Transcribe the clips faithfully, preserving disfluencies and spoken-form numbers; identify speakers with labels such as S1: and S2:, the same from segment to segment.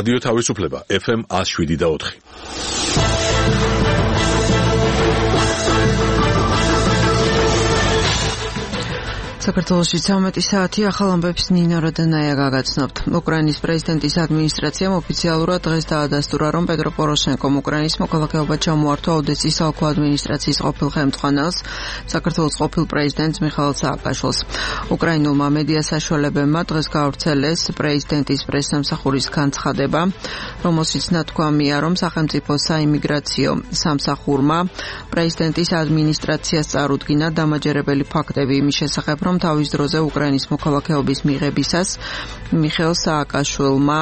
S1: რადიო თავისუფლება ეფ ემ one oh seven და four.
S2: საქართველოში ცამეტი საათი ახალ ამბებს ნინო როდანაია გაგაცნობთ. უკრაინის პრეზიდენტის ადმინისტრაციამ ოფიციალურად დღეს დაადასტურა, რომ პეტრო პოროშენკომ უკრაინის მოქალაქეობა ჩამოართვა ოდესის ალქო ადმინისტრაციის ყოფილ ხელმძღვანელს, საქართველოს ყოფილ პრეზიდენტს მიხაილ სააკაშვილს. უკრაინულმა მედია საშუალებებმა დღეს გაავრცელეს პრეზიდენტის პრესსამსახურის განცხადება, რომელშიც ნათქვამია, რომ სახელმწიფო საიმიგრაციო სამსახურმა პრეზიდენტის ადმინისტრაციას წარუდგინა დამაჯერებელი ფაქტები იმის შესახებ, რომ თავის დროზე უკრაინის მოქალაქეობის მიღებისას მიხეილ სააკაშვილმა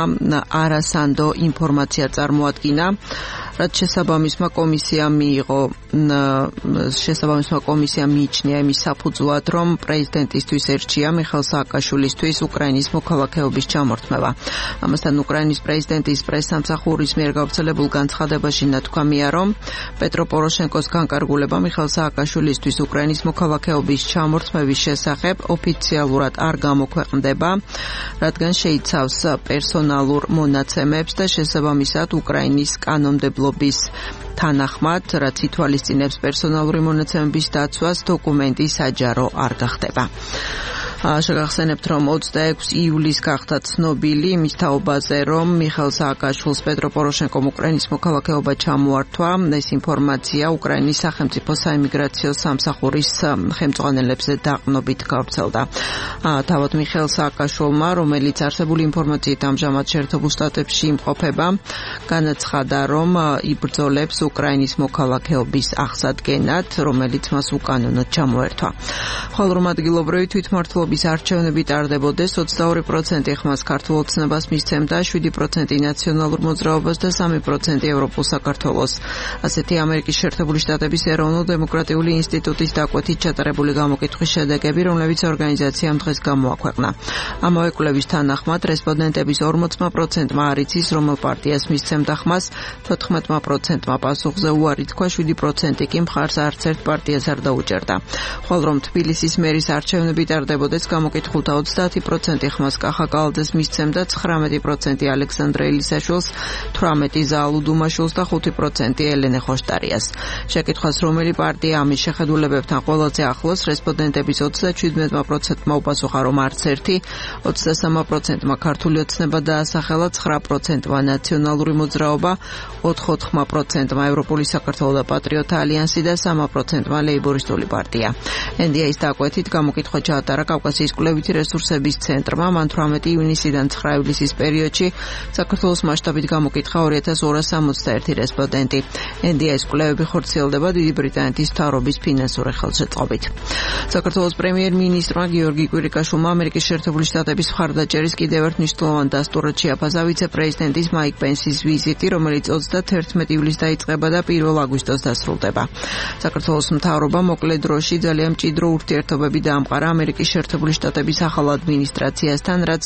S2: არასანდო ინფორმაცია წარმოადგინა, რაც შესაბამისმა კომისიამ მიიღო შესაბამისმა კომისიამ მიიჩნია იმის საფუძვლად, რომ პრეზიდენტისთვის ერჩია მიხეილ სააკაშვილისთვის უკრაინის მოქალაქეობის ჩამორთმევა. ამასთან უკრაინის პრეზიდენტის პრესსამსახურის მიერ გავრცელებულ განცხადებაში ნათქვამია, რომ პეტრო პოროშენკოს განკარგულება მიხეილ სააკაშვილისთვის უკრაინის მოქალაქეობის ჩამორთმევის შესახებ ოფიციალურად არ გამოქვეყნდება, რადგან შეიცავს პერსონალურ მონაცემებს და შესაბამისად უკრაინის კანონმდებლობის თანახმად, რაც ითვალისწინებს პერსონალური მონაცემების დაცვას, დოკუმენტი საჯარო არ გახდება. შეგახსენებთ, რომ ოცდაექვსი იულის გახდა ცნობილი იმის თაობაზე, რომ მიხეილ სააკაშვილს პეტრო პოროშენკომ უკრაინის მოქალაქეობა ჩამოართვა. ეს ინფორმაცია უკრაინის სახელმწიფო საიმიგრაციო სამსახურის ხელმძღვანელებზე დაყრდნობით გავრცელდა. თავად მიხეილ სააკაშვილმა, რომელიც არსებული ინფორმაციით ამჟამად შეერთებულ შტატებში იმყოფება, განაცხადა, რომ იბრძოლებს უკრაინის მოქალაქეობის აღსადგენად, რომელიც მას უკანონოდ ჩამოერთვა. ხოლო რომ ადგილობრივი თვითმმართველობის არჩევნები ტარდებოდეს, ოცდაორი პროცენტი ხმას ქართულ ოცნებას მისცემდა, შვიდი პროცენტი ნაციონალურ მოძრაობას და სამი პროცენტი ევროპულ საქართველოს. ასეთი ამერიკის შეერთებული შტატების ეროვნულ-დემოკრატიული ინსტიტუტის დაკვეთით ჩატარებული გამოკითხვის შედეგები, რომლებიც ორგანიზაციამ დღეს გამოაქვეყნა. ამავე კვლევის თანახმად, რესპონდენტების ორმოცი პროცენტმა არ იცის, რომელ პარტიას მისცემდა ხმას, თოთხმეტი პროცენტმა პასუხზე უარი თქვა, შვიდი პროცენტი კი მხარს არც ერთ პარტიას არ დაუჭერდა. ხოლო რომ თბილისის მერის არჩევნები ტარდებოდეს, გამოკითხულთა ოცდაათი პროცენტი ხმას კახა კალაძეს მისცემდა, ცხრამეტი პროცენტი ალექსანდრე ელისაშვილს, თვრამეტი ზაალუ დუმაშვილს და ხუთი პროცენტი ელენე ხოშტარიას. შეკითხვას, რომელი პარტია ამის შეხედულებებთან ყველაზე ახლოს, რესპონდენტების ოცდაჩვიდმეტი პროცენტმა უპასუხა, რომ არც ერთი, ოცდასამი პროცენტმა ქართული ოცნება დაასახელა, ცხრა პროცენტმა ნაციონალური მოძრაობა, ოთხი პროცენტმა ევროპული საქართველო და პატრიოტთა ალიანსი და სამი პროცენტმა ლეიბორისტული პარტია. ენ დი ეის დაკვეთით გამოკითხვა ჩაატარა კავკასიის კვლევითი რესურსების ცენტრმა. მან თვრამეტი ივნისიდან ცხრა ივლისის პერიოდში საქართველოს მასშტაბით გამოკითხა ორი ათას ორას სამოცდაერთი რესპონდენტი. ენ დი ეის კვლევები ხორციელდება დიდი ბრიტანეთის მთავრობის ფინანსური ხელშეწყობით. საქართველოს პრემიერ-მინისტრმა გიორგი კვირიკაშვილმა ამერიკის შეერთებული შტატების მხარდაჭერის კიდევ ერთ მნიშვნელოვან დასტურად შეაფასა ვიცე-პრეზიდენტის მაიკ პენსის ვიზიტი, რომელიც ოცდათერთმეტი ივლისს დაიწყება და პირველ აგვისტოს დასრულდება. საქართველოს მთავრობა მოკლე დროში ძალიან მჭიდრო ურთიერთობები დაამყარა ამერიკის შეერთებული შტატების ახალ ადმინისტრაციასთან, რაც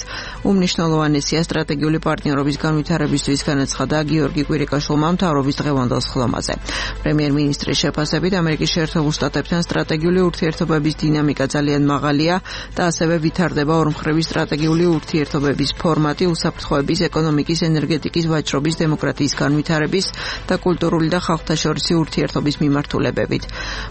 S2: უმნიშვნელოვანესია სტრატეგიული პარტნიორობის განვითარებისთვის, განაცხადა გიორგი კვირიკაშვილმა მთავრობის დღევანდელ სხდომაზე. პრემიერ-მინისტრის შეფასებით, ამერიკის შეერთებულ შტატებთან სტრატეგიული ურთიერთობების დინამიკა ძალიან მაღალია და ასევე ვითარდება ორმხრივი სტრატეგიული ურთიერთობების ფორმატი უსაფრთხოების, ეკონომიკის, ენერგეტიკის, ვაჭრობის, დემოკრატიის განვითარების და კულტურული და ხალხთაშორისი ურთიერთობის მიმართულებებით.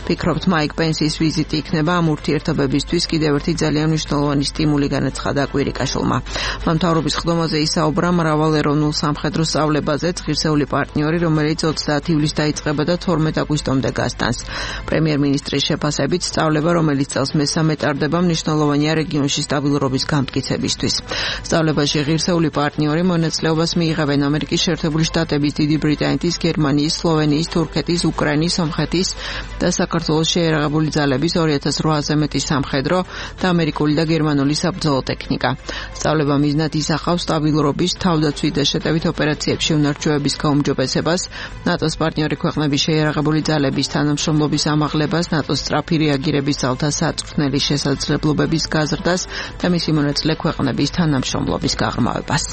S2: ფიქრობთ, მაიკ პენსის ვიზიტი იქნება ამ ურთიერთობებისთვის კიდევ ერთი ძალიან მნიშვნელოვანი სტიმული, განაცხადა კვირიკაშვილმა. მან მთავრობის სხდომაზე ისაუბრა მრავალ ეროვნულ სამხედრო სწავლებაზეც, ღირსეული პარტნიორი, რომელიც ოცდაათი ივლისს დაიწყება და თორმეტი აგვისტომდე გასტანს. პრემიერ-მინისტრის შეფასებით, სწავლება, რომელიც წელს მესამე ტარდება, მნიშვნელოვანია რეგიონში სტაბილურობის გამტკიცებისთვის. სწავლებაში ღირსეული პარტნიორი მონაწილეობას მიიღებენ ამერიკის შეერთებული შტატების, დიდი ბრიტანეთის, გერმანიის, სლოვენიის, თურქეთის, უკრაინის, სომხეთის და საქართველოს შეიარაღებული ძალების ორი ათას რვააზე მეტი სამხედრო და ამერიკული და გერმანული საბრძოლო ტექნიკა. სწავლება მიზნად ისახავს სტაბილურობის, თავდაცვით და შეტევით ოპერაციებში უნარჩვევების გაუმჯობესებას, ნატოს პარტნიორი ქვეყნების შეიარაღებული ძალების თანამშრომლობის ამაღლებას, ნატოს სწრაფი რეაგირების ძალთა საწვრთნელი შესაძლებლობების გაზრდას და მისი მონაწილე ქვეყნების თანამშრომლობის გაღრმავებას.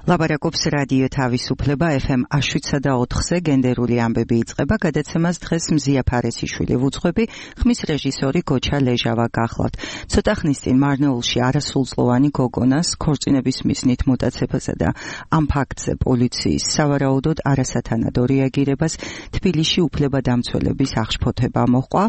S3: ლაპარაკობს რადიო თავისუფლება ეფ ემ შვიდსა და ოთხზე გენდერული ამბები იწყება. გადაცემას დღეს მზია ფარესიშვილი ვუძღვები, ხმის რეჟისორი გოჩა ლეჟავა გახლავთ. ცოტა ხნის წინ მარნეულში არასრულწლოვანი გოგონას ქორწინების მიზნით მოტაცებაზე და ამ ფაქტზე პოლიციის სავარაუდოდ არასათანადო რეაგირებას თბილისში უფლებადამცველების აღშფოთება მოჰყვა.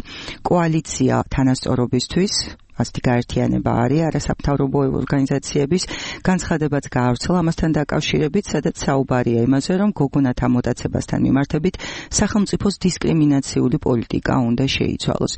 S3: კოალიცია თანასწორობისთვის ასეთი გაერთიანება არის არასამთავრობო ორგანიზაციების განცხადებაც გაავრცელა ამასთან დაკავშირებით, სადაც საუბარია იმაზე, რომ გოგონათა მოტაცებასთან მიმართებით სახელმწიფოს დისკრიმინაციული პოლიტიკა უნდა შეიცვალოს.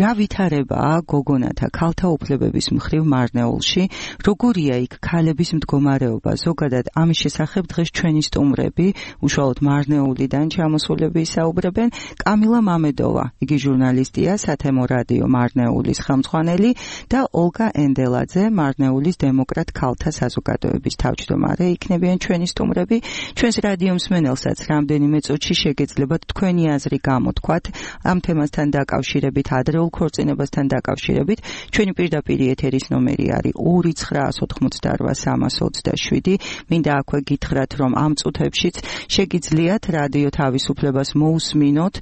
S3: რა ვითარებაა გოგონათა ქალთა უფლებების მხრივ მარნეულში, როგორია იქ ქალების მდგომარეობა, ზოგადად ამის შესახებ დღეს ჩვენი სტუმრები, უშუალოდ მარნეულიდან ჩამოსულები ისაუბრებენ. კამილა მამედოვა, იგი ჟურნალისტია, სათემო რადიო მარნეულის ხელმძღვანელი და ოლგა ენდელაძე, მარნეულის დემოკრატ ქალთა საზოგადოების თავმჯდომარე იქნებიან ჩვენი სტუმრები. ჩვენს რადიო მსმენელსაც რამდენიმე წუთში შეგეძლებათ თქვენი აზრი გამოთქვათ ამ თემასთან დაკავშირებით, ადრეულ ქორწინებასთან დაკავშირებით. ჩვენი პირდაპირ ეთერის ნომერი არის ორი ცხრა ოთხმოცდა რვა სამას ოცდაშვიდი. მინდა აქვე გითხრათ, რომ ამ წუთებშიც შეგიძლიათ რადიო თავისუფლებას მოусმინოთ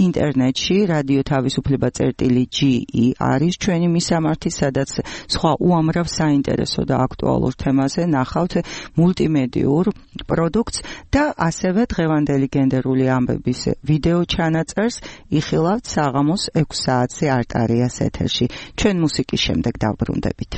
S3: ინტერნეტში. რადიო თავისუფლება წერტილი ჯი ი არის ჩვენი მისამართი, სადაც სხვა უამრავ საინტერესო და აქტუალურ თემაზე ნახავთ მულტიმედიურ პროდუქტს და ასევე დღევანდელი გენდერული ამბების ვიდეო ჩანაწერს იხილავთ საღამოს ექვს საათზე არტარიას ეთერში. ჩვენ მუსიკის შემდეგ დავბრუნდებით.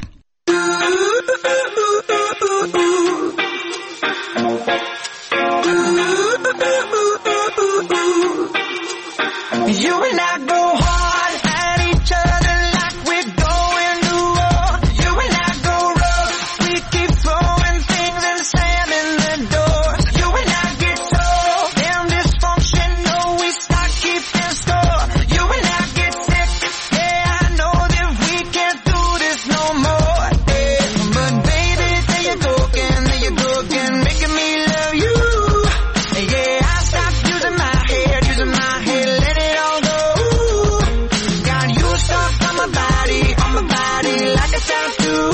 S4: You and I go hard at each other like we're going to war. You and I go rough, we keep throwing things and slamming the door. You and I get so damn dysfunctional, we start keeping score. You and I get sick, yeah, I know that we can't do this no more. Yeah. But baby, there you go again, there you go again, making me love you. Yeah, I stopped using my head, using my head, let it all go. Got you stuck on my body, on my body like a tattoo.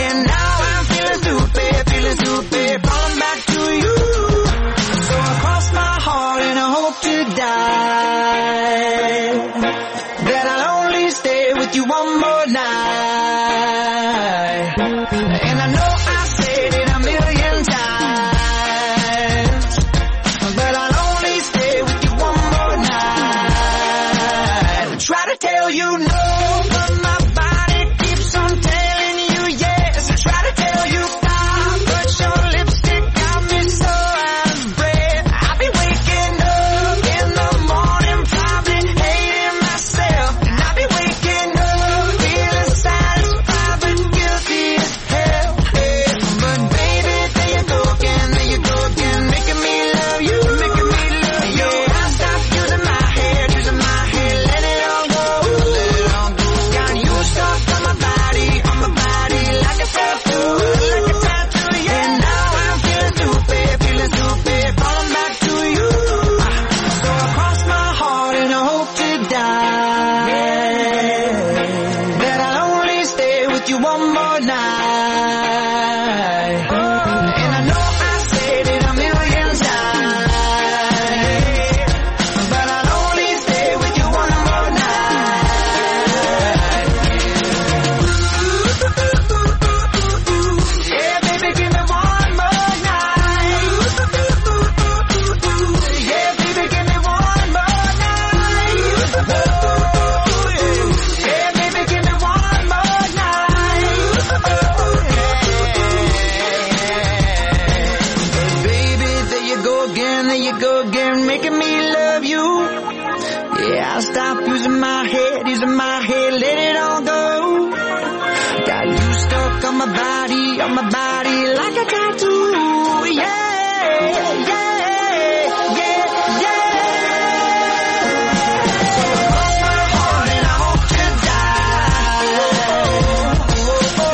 S4: And now I'm feeling stupid, feeling stupid, falling back to you. So I cross my heart and I hope to die, that I'll only stay with you one more night. And I know I said it a million times, but I'll only stay with you one more night. Try to tell you no, but my body keeps on telling you yes. Try to tell you stop, but your lipstick got me so out of breath. I'll be waking up in the morning, probably hating myself. And I'll be waking up feeling satisfied but guilty as hell. Yeah. But baby, there you go again, there you go again, making me love you, making me love you. Yeah, I stopped using my head, using my head, let it all go, let it all go. Got you stuck on my body, on my body like a tattoo, like a tattoo, yeah. And now I'm feeling stupid, feeling stupid, falling back to you. So I cross my heart and I hope to die, that I'll only stay with you one more night. And I know I said it a million times, but I'll only stay with you one more night. Yeah, baby, give me one more night. Yeah, baby, give me one more night. Yeah, baby, give me one more night. Baby, there you go again, there you go again, making me love you. Yeah, I'll stop using my head, using my head, let it all go. Got you stuck on my body, on my body like a tattoo. Yeah, yeah, yeah, yeah. So I cross my heart and I hope to die,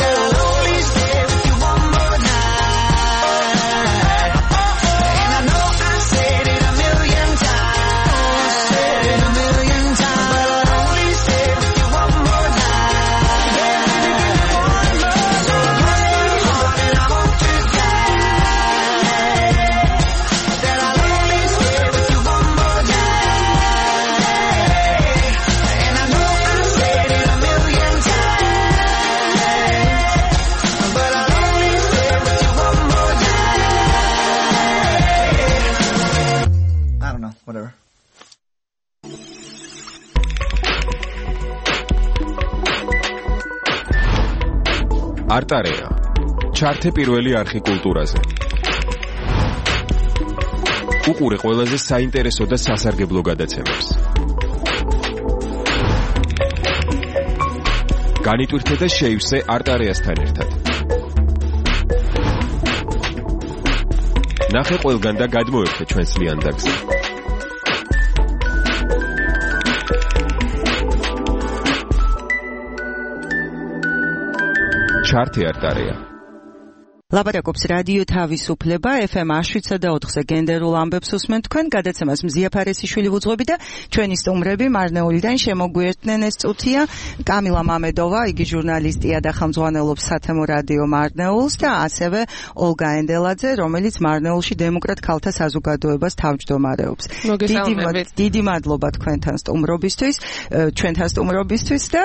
S4: that I'll only stay with you one more night. And I know I said it a million times, said it a million times, but I'll only stay with you one more night. Yeah, baby, give me one more. So I cross my heart and
S5: არტარეა. ჩართე პირველი არხი კულტურაზე. უყურე ყველაზე საინტერესო და სასარგებლო გადაცემებს. განიტვირთე და შეივსე არტარეასთან ერთად. ნახე ყველგან და გადმოერთე ჩვენს ლიანდაგზე. ჩართე არტარეა.
S3: ლაპარაკობს რადიო თავისუფლება ეფ ემ შვიდსა და ოთხზე გენდერულ ამბებს უსმენთ თქვენ გადაცემას მზია ფარესიშვილი ვუძღვები და ჩვენი სტუმრები მარნეულიდან შემოგვიერთდნენ ეს წუთია კამილა მამედოვა იგი ჟურნალისტია და ხელმძღვანელობს სათემო რადიო მარნეულს და ასევე ოლგა ენდელაძე რომელიც მარნეულში დემოკრატ ქალთა საზოგადოებას თავმჯდომარეობს. დიდი მადლობა თქვენთან სტუმრობისთვის ჩვენთან სტუმრობისთვის და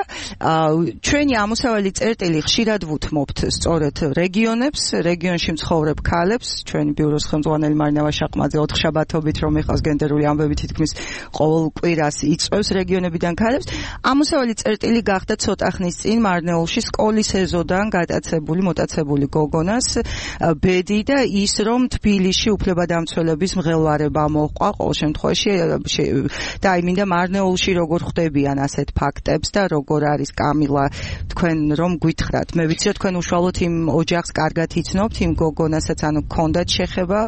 S3: ჩვენი ამოსავალი წერტილი ხშირად ვუთმობთ სწორედ რეგიონებს რეგიონში მცხოვრებ ქალებს ჩვენი ბიუროს ხელმძღვანელი მარინავა შაყმაძე ოთხშაბათობით რომ ეხავს გენდერული ამბები თითქმის ყოველ კვირას იწვევს რეგიონებიდან ქალებს ამოსავალი წერტილი გახდა ცოტა ხნის წინ მარნეულში სკოლის ეზოდან გატაცებული მოტაცებული გოგონას ბედი და ის რომ თბილისში უფლებადამცველების მღელვარება მოჰყვა ყოველ შემთხვევაში და აი მინდა მარნეულში როგორ ხვდებიან ასეთ ფაქტებს და როგორ არის კამილა თქვენ რომ გითხრათ მე ვიცი თქვენ უშუალოდ იმ ოჯახს კარგად იცნობთ იმ გოგონასაც ანუ გქონდათ შეხება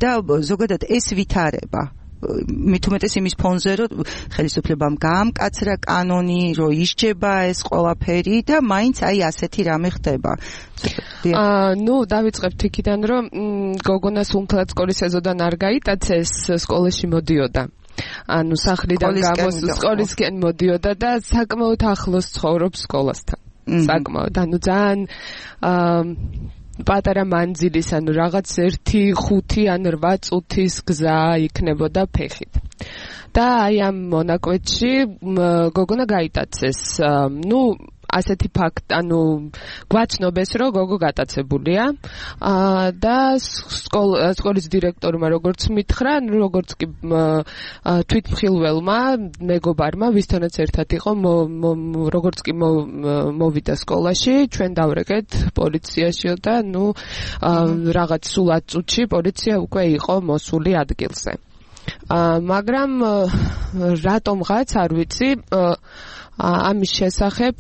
S3: და ზოგადად ეს ვითარება მით უმეტეს იმის ფონზე რომ ხელისუფლებამ გაამკაცრა კანონი რომ ისჯება ეს ყველაფერი და მაინც აი ასეთი რამე ხდება.
S6: აა ნუ დავიწყებთ იქიდან რომ გოგონას უმთლად სკოლის ეზოდან არ გაიტაცეს სკოლაში მოდიოდა. ანუ სახლიდან გამოს სკოლისკენ მოდიოდა და საკმაოდ ახლოს ცხოვრობს სკოლასთან. საკმაოდ ანუ ძალიან აა პატარა მანძილის ანუ რაღაც ერთი ხუთი ან რვა წუთის გზა იქნებოდა ფეხით. და აი ამ მონაკვეთში გოგონა გაიტაცეს. ნუ ასეთი ფაქტ ანუ გვაცნობეს რომ გოგო გატაცებულია და სკოლის დირექტორმა როგორც მითხრა როგორც კი თვითმხილველმა მეგობარმა ვისთანაც ერთად იყო როგორც კი მოვიდა სკოლაში ჩვენ დავრეკეთ პოლიციაშიო და ნუ რაღაც სულ ათ წუთში პოლიცია უკვე იყო მოსული ადგილზე. მაგრამ რატომღაც არ ვიცი ამის შესახებ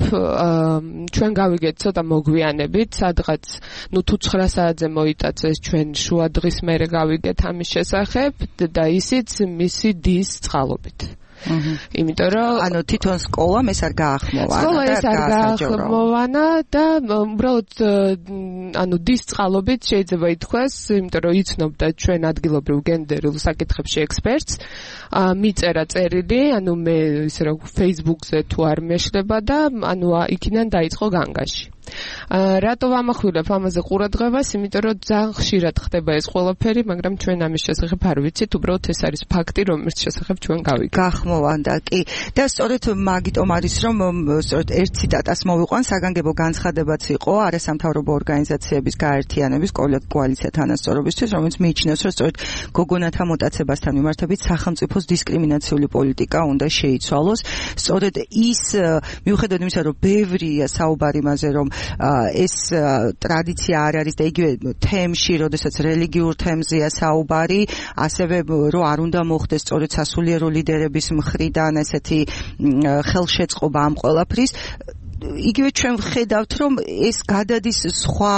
S6: ჩვენ გავიგეთ ცოტა მოგვიანებით სადღაც ნუ თუ ცხრა საათზე მოიტაცეს ჩვენ შუა დღის მერე გავიგეთ ამის შესახებ და ისიც მისი დის წყალობით. იმიტომ რომ
S3: ანუ თვითონ სკოლამ ეს არ გაახმოვანა
S6: სკოლა ეს არ გაახმოვანა და უბრალოდ ანუ დის წყალობით შეიძლება ითქვას იმიტომ რომ იცნობდა ჩვენ ადგილობრივ გენდერულ საკითხებში ექსპერტს მიწერა წერილი ანუ მე ისე რომ Facebook-ზე თუ არ მეშლება და ანუ იქიდან დაიწყო განგაში. რატო ვამახვილებ ამაზე ყურადღებას? იმიტომ რომ ძალიან ხშირად ხდება ეს ყველაფერი, მაგრამ ჩვენ ამის შესახებ არ ვიცით, უბრალოდ ეს არის ფაქტი, რომლის შესახებ ჩვენ გავიგეთ.
S3: გახმოვანდა, კი. და სწორედ მაგიტომ არის, რომ სწორედ ერთ ციტატას მოვიყვან, საგანგებო განცხადებაც იყო არასამთავრობო ორგანიზაციების გაერთიანების კოალიცია თანასწორობისთვის, რომელიც მიიჩნევს, რომ სწორედ გოგონათა მოტაცებასთან მიმართებით სახელმწიფოს დისკრიმინაციული პოლიტიკა უნდა შეიცვალოს. სწორედ ის მიუხედავად იმისა, რომ ბევრია საუბარი იმაზე, რომ ეს ტრადიცია არ არის და იგივე თემში, როდესაც რელიგიურ თემზეა საუბარი, ასევე რომ არ უნდა მოხდეს სწორედ სასულიერო ლიდერების მხრიდან ესეთი ხელშეწყობა ამ ყველაფრის. იგივე ჩვენ ვხედავთ, რომ ეს გადადის სხვა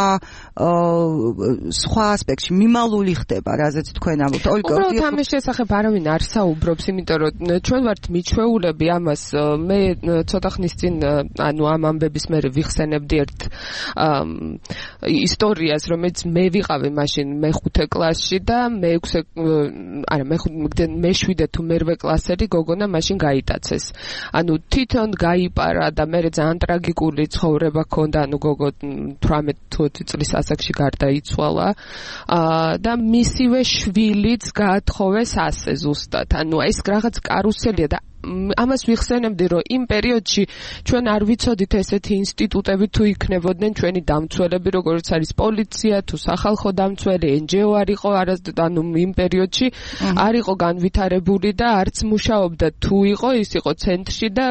S3: სხვა ასპექტში, მიმალული ხდება, რაზეც თქვენ ამბობთ.
S6: უბრალოდ ამის შესახებ არავინ არ საუბრობს, იმიტომ რომ ჩვენ ვართ მიჩვეულები ამას. მე ცოტა ხნის წინ, ანუ ამ ამბების მერე ვიხსენებდი ერთ ისტორიას, რომელიც მე ვიყავი მაშინ მეხუთე კლასში და მეექვსე, არა მეშვიდე თუ მერვე კლასელი გოგონა მაშინ გაიტაცეს. ანუ თვითონ გაიპარა და მე ძალიან ტრაგიკული ცხოვრება ჰქონდა, ანუ გოგო თვრამეტ თუ ოცი წლის ასაკში გარდაიცვალა და მისივე შვილიც გაათხოვეს ასე ზუსტად. ანუ ეს რაღაც კარუსელია და ამას ვიხსენებდი, რომ იმ პერიოდში ჩვენ არ ვიცოდით ესეთი ინსტიტუტები თუ იქნებოდნენ ჩვენი დამცველები, როგორც არის პოლიცია, თუ სახალხო დამცველი, en ge o არ იყო არასდროს, ანუ იმ პერიოდში არ იყო განვითარებული და არც მუშაობდა, თუ იყო, ის იყო ცენტრში და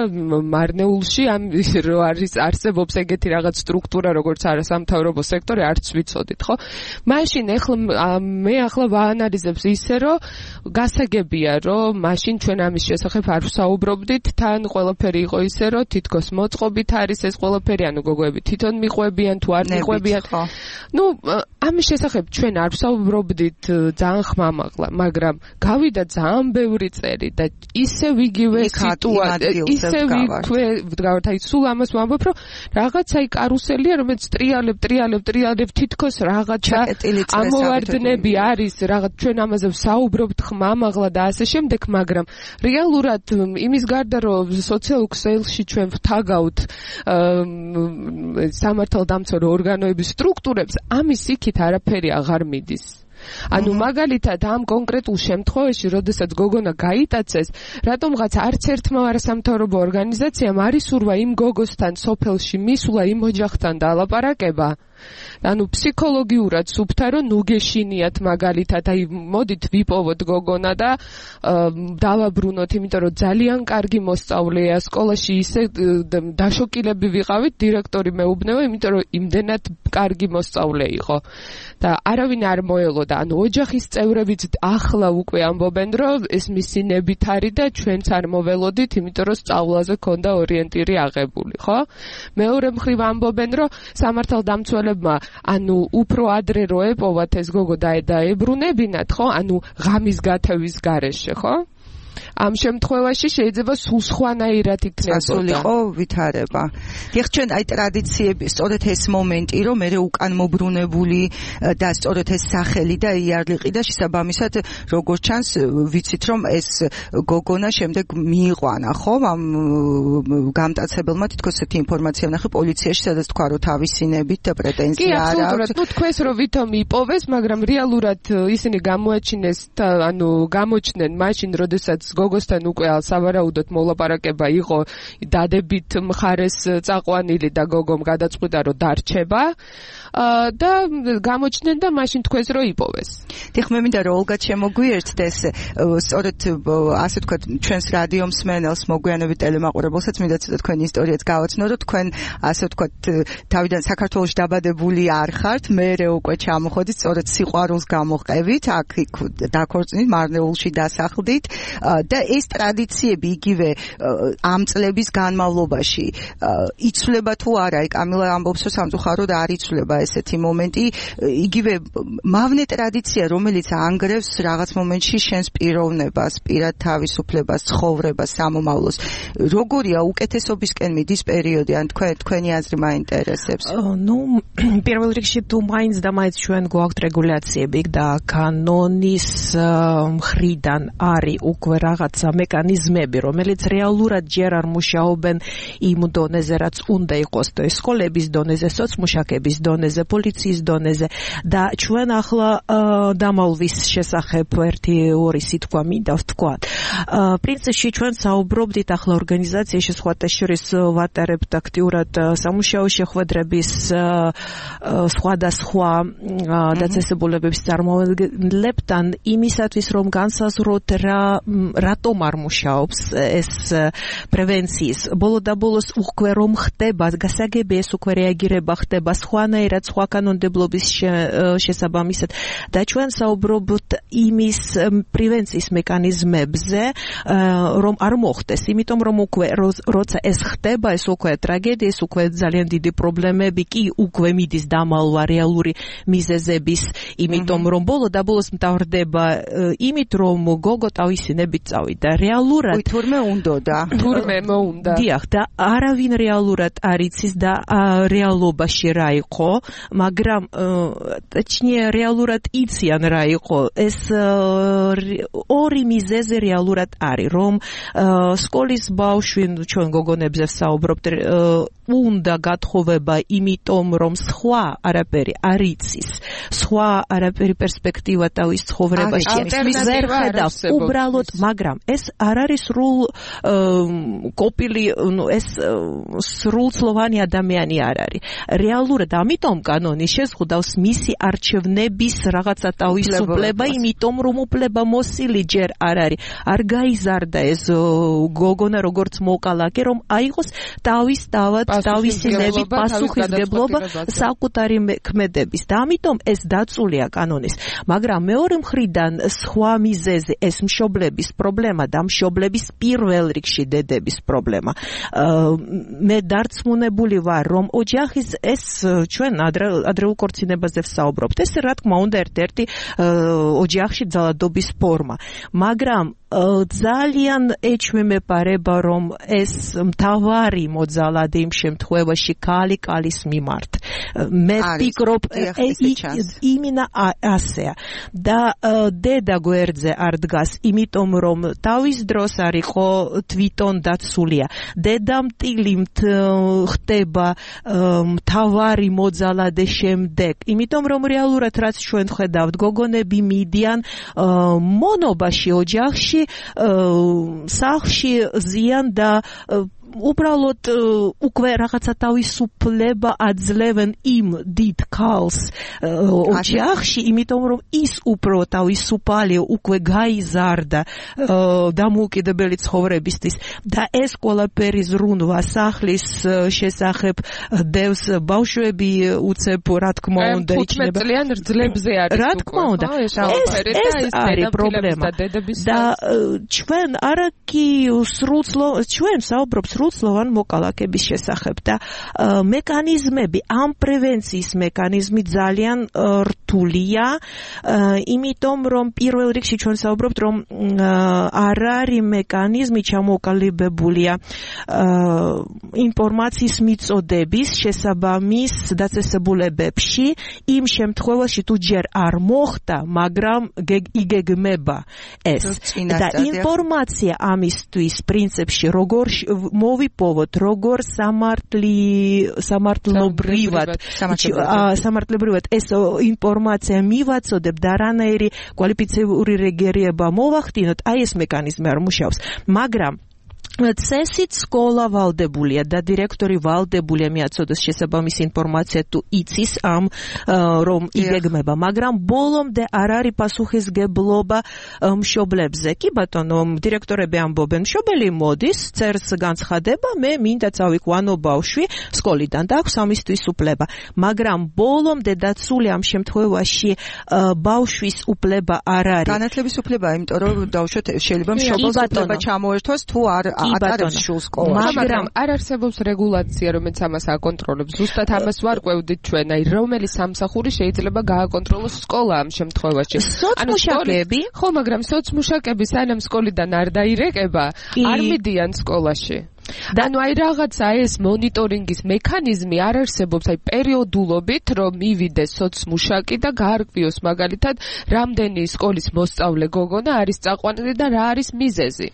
S6: მარნეულში, ამ რო არის არსებობს ეგეთი რაღაც სტრუქტურა, როგორც არასამთავრობო სექტორი, არც ვიცოდით, ხო? მაშინ ეხლა მე ახლა ვაანალიზებს ისე, რომ გასაგებია, რომ მაშინ ჩვენ ამის შესახებ არ ვსაუბრობდით, თან ყველაფერი იყო ისე, რომ თითქოს მოწყობით არის ეს ყველაფერი, ანუ გოგოები თვითონ მიყვებიან თუ არ მიყვებიან. ნუ ამის შესახებ ჩვენ არ ვსაუბრობდით ძალიან ხმამაღლა, მაგრამ გავიდა ძალიან ბევრი წელი და ისევ იგივე სიტუაცია, ისევ ვდგავართ, აი სულ ამას ვამბობ, რომ რაღაცა აი კარუსელია, რომელიც ტრიალებ, ტრიალებ, ტრიალებ, თითქოს რაღაცა ამოვარდნები არის, რაღაც ჩვენ ამაზე ვსაუბრობთ ხმამაღლა და ასე შემდეგ, მაგრამ რეალურად იმის გარდა, რომ სოციალურ ქსელში ჩვენ ვთაგავთ სამართალდამცავ ორგანოების სტრუქტურებს, ამის იქით არაფერი აღარ მიდის. ანუ მაგალითად ამ კონკრეტულ შემთხვევაში, როდესაც გოგონა გაიტაცეს, რატომღაც არც ერთმა არასამთავრობო ორგანიზაციამ არ ისურვა იმ გოგოსთან სოფელში მისვლა, იმ ოჯახთან დალაპარაკება. ანუ ფსიქოლოგიურად სუფთა, რომ ნუ გეშინიათ მაგალითად, აი მოდით ვიპოვოთ გოგონა და დავაბრუნოთ, იმიტომ რომ ძალიან კარგი მოსწავლეა სკოლაში, ისე დაშოკილები ვიყავით, დირექტორი მეუბნება, იმიტომ რომ იმდენად კარგი მოსწავლე იყო და არავინ არ მოელოდა. ანუ ოჯახის წევრებიც ახლა უკვე ამბობენ, რომ ეს მისი ნებით არის და ჩვენც არ მოველოდით, იმიტომ რომ სწავლაზე ქონდა ორიენტირი აღებული, ხო? მეორე მხრივ ამბობენ, რომ სამართალდამცველებმა ანუ უფრო ადრე რო ეპოვათ ეს გოგო და დაებრუნებინათ, ხო? ანუ ღამის გათევის გარეშე, ხო? ამ შემთხვევაში შეიძლება სულ სხვანაირად იქნებოდა.
S3: ასულიყო ვითარება. დიახ, ჩვენ აი ტრადიციები, სწორედ ეს მომენტი, რომ მე უკან მობრუნებული და სწორედ ეს სახელი და იარლიყი და შესაბამისად როგორც ჩანს, ვიცით რომ ეს გოგონა შემდეგ მიიყვანა, ხო? ამ გამტაცებელმა თითქოს ესეთი ინფორმაცია ვნახე პოლიციაში, სადაც თქვა რომ თავისინებით და პრეტენზია არ აქვს.
S6: კი, თქვენს რომ ვითომ იპოვეს, მაგრამ რეალურად ისინი გამოაჩინეს, ანუ გამოჩნდნენ მაშინ, როდესაც გოგოსთან უკვე სავარაუდოდ მოლაპარაკება იყო დადებით მხარეს წაყვანილი და გოგომ გადაწყვიტა რომ დარჩება და გამოჩნდნენ და მაშინ თქვენს რომ იპოვეს.
S3: დიახ, მე მინდა რომ ოლგა შემოგვიერთდეს, სწორედ ასე ვთქვათ, ჩვენს რადიო მსმენელს, მოგვიანებით ტელემაყურებელსაც მინდა ცოტა თქვენი ისტორიაც გავაცნო, რომ თქვენ ასე ვთქვათ, თავიდან საქართველოში დაბადებული არ ხართ, მერე უკვე ჩამოხოდით, სწორედ სიყვარულს გამოყევით, აქ დაქორწინით, მარნეულში დასახლდით და ეს ტრადიციები იგივე ამ წლების განმავლობაში იცვლება თუ არა? აი კამილა ამბობს, რომ სამწუხაროდ არ იცვლება ესეთი მომენტი, იგივე მავნე ტრადიცია, რომელიც ანგრევს რაღაც მომენტში შენს პიროვნებას, პირად თავისუფლებას, ცხოვრებას, სამომავლოს. როგორია უკეთესობისკენ მიდის პერიოდი, ან თქვენ თქვენი აზრი მაინტერესებს?
S7: ნუ პირველ რიგში თუ მაინც და მაინც ჩვენ გვაქვს რეგულაციები და კანონის მხრიდან არის უკვე რაღაცა მექანიზმები, რომელიც რეალურად ჯერ არ მუშაობენ იმ დონეზე, რაც უნდა იყოს, და სკოლების დონეზე, სოციმუშაკების დონეზე, პოლიციის დონეზე და ჩვენ ახლა დამალვის შესახებ ერთი ორი სიტყვა მინდა ვთქვათ. პრინციპში ჩვენ საუბრობდით ახლა ორგანიზაციაში, სხვათა შორის ვატარებთ აქტიურად სამუშაო შეხვედრების სხვადასხვა დაწესებულებების წარმომადგენლებთან იმისათვის, რომ განსაზღვროთ რა რატომ არ მუშაობს ეს პრევენციის. ბოლო და ბოლოს უკვე რომ ხდება, გასაგებია ეს უკვე რეაგირება ხდება სხვანაირად, სხვა კანონმდებლობის შესაბამისად და ჩვენ საუბრობთ იმის პრევენციის მექანიზმებზე, რომ არ მოხდეს, იმიტომ რომ უკვე როცა ეს ხდება, ეს უკვე ტრაგედია, ეს უკვე ძალიან დიდი პრობლემები კი უკვე მიდის დამალვა რეალური მიზეზების, იმიტომ რომ ბოლო და ბოლოს მთავრდება იმით, რომ გოგო თავისი ნებით წავიდა. რეალურად
S3: თურმე უნდოდა.
S6: თურმე მოუნდა.
S7: დიახ, და არავინ რეალურად არ იცის და რეალობაში რა იყო, მაგრამ точнее რეალურად იციან რა იყო. ეს ორი მიზეზი რეალურად არის, რომ სკოლის ბავშვი, ჩვენ გოგონებზე საუბრობთ, უნდა გათხოვება, იმიტომ რომ სხვა არაფერი არ იცის, სხვა არაფერი პერსპექტივა თავის ცხოვრებაში ვერ ხედავს უბრალოდ, მაგრამ ეს არ არის სრულ კოპილი, ეს სრულწლოვანი ადამიანი არ არის. რეალურად ამიტომ კანონი შეზღუდავს მისი არჩევნების რაღაცა თავისუფლება, იმიტომ რომ უფლებამოსილი ჯერ არ არის. არ გაიზარდა ეს გოგონა როგორც მოკალაკე, რომ აიღოს თავის თავად თავისი ნებით პასუხისმგებლობა საკუთარი ქმედების. და ამიტომ ეს დაწულია კანონის. მაგრამ მეორე მხრიდან სხვა მიზეზი, ეს მშობლების პრობლემა და მშობლების პირველ რიგში დედების პრობლემა. მე დარწმუნებული ვარ, რომ ოჯახის ეს ჩვენ ადრეულ ქორწინებაზე ვსაუბრობთ. ეს რა თქმა უნდა ერთ-ერთი ოჯახში ძალადობის ფორმა. მაგრამ ძალიან ეჩვენებარება, რომ ეს მთავარი მოძალადი იმ შემთხვევაში ქალი ქალის მიმართ. მე ვფიქრობ, იმინა ასეა. და დედა გვერდზე არ დგას, იმიტომ რომ თავის დროს არ იყო თვითონ დაცულია. დედამტილი ხდება მთავარი მოძალადე შემდეგ, იმიტომ რომ რეალურად რაც ჩვენ ხედავთ, გოგონები მიდიან მონობაში ოჯახში, სახლში ზიან და უბრალოდ უკვე რაღაცა თავისუფლება აძლევენ იმ დიდ ქალს ოჯახში, იმიტომ რომ ის უფრო თავისუფალი უკვე გაიზარდა დამოუკიდებელი ცხოვრებისთვის და ეს ყველაფერი ზრუნვა სახლის შესახებ დევს ბავშვები უცებ რა თქმა უნდა
S6: იქნება წლიან რძლებზე არის
S7: რა თქმა უნდა ეს არის პრობლემა და ჩვენ არაკი სრულწლო ჩვენ საუბრობთ სრულწლოვან მოკალაკების შესახებ და მექანიზმები, ამ პრევენციის მექანიზმი ძალიან რთულია, იმიტომ რომ პირველ რიგში ჩვენ საუბრობთ, რომ არ არის მექანიზმი ჩამოყალიბებულია ინფორმაციის მიწოდების შესაბამის დაწესებულებებში, იმ შემთხვევაში თუ ჯერ არ მოხდა, მაგრამ იგეგმება ეს და ინფორმაცია ამისთვის პრინციპში როგორ მოვიპოვოთ, როგორ სამართლი სამართლობრივად სამართლებრივად ეს ინფორმაცია მივაწოდებ და რანაირი კვალიფიციური რეგერება მოვახდინოთ, აი ეს მექანიზმი არ მუშაობს, მაგრამ წესით სკოლა ვალდებულია და დირექტორი ვალდებულია მიაწოდოს შესაბამისი ინფორმაცია თუ იცის ამ რომ იგეგმება, მაგრამ ბოლომდე არ არის პასუხისმგებლობა მშობლებზე. კი ბატონო, დირექტორები ამბობენ, მშობელი მოდის, წერს განცხადება, მე მინდა წავიყვანო ბავშვი სკოლიდან და აქვს ამისთვის უფლება, მაგრამ ბოლომდე დაცული ამ შემთხვევაში ბავშვის უფლება არ არის.
S2: განათლების უფლებაა, იმიტომ რომ დავუშვათ შეიძლება მშობელს უფლება ჩამოერთვას თუ არ ატარებს შულს სკოლაში.
S6: მაგრამ არ არსებობს რეგულაცია, რომელიც ამას აკონტროლებს. ზუსტად ამას ვარკვევდით ჩვენ, აი რომელი სამსახური შეიძლება გააკონტროლოს სკოლა ამ შემთხვევაში.
S7: სოცმუშაკები?
S6: ხო, მაგრამ სოცმუშაკები სანამ სკოლიდან არ დაირეკება, არ მიდიან სკოლაში. და ნუ აი რაღაცა ეს მონიტორინგის მექანიზმი არ არსებობს, აი პერიოდულობით რომ მივიდეს სოცმუშაკი და გაარკვიოს მაგალითად რამდენი სკოლის მოსწავლე გოგონა არის წაყვანილი და რა არის მიზეზი.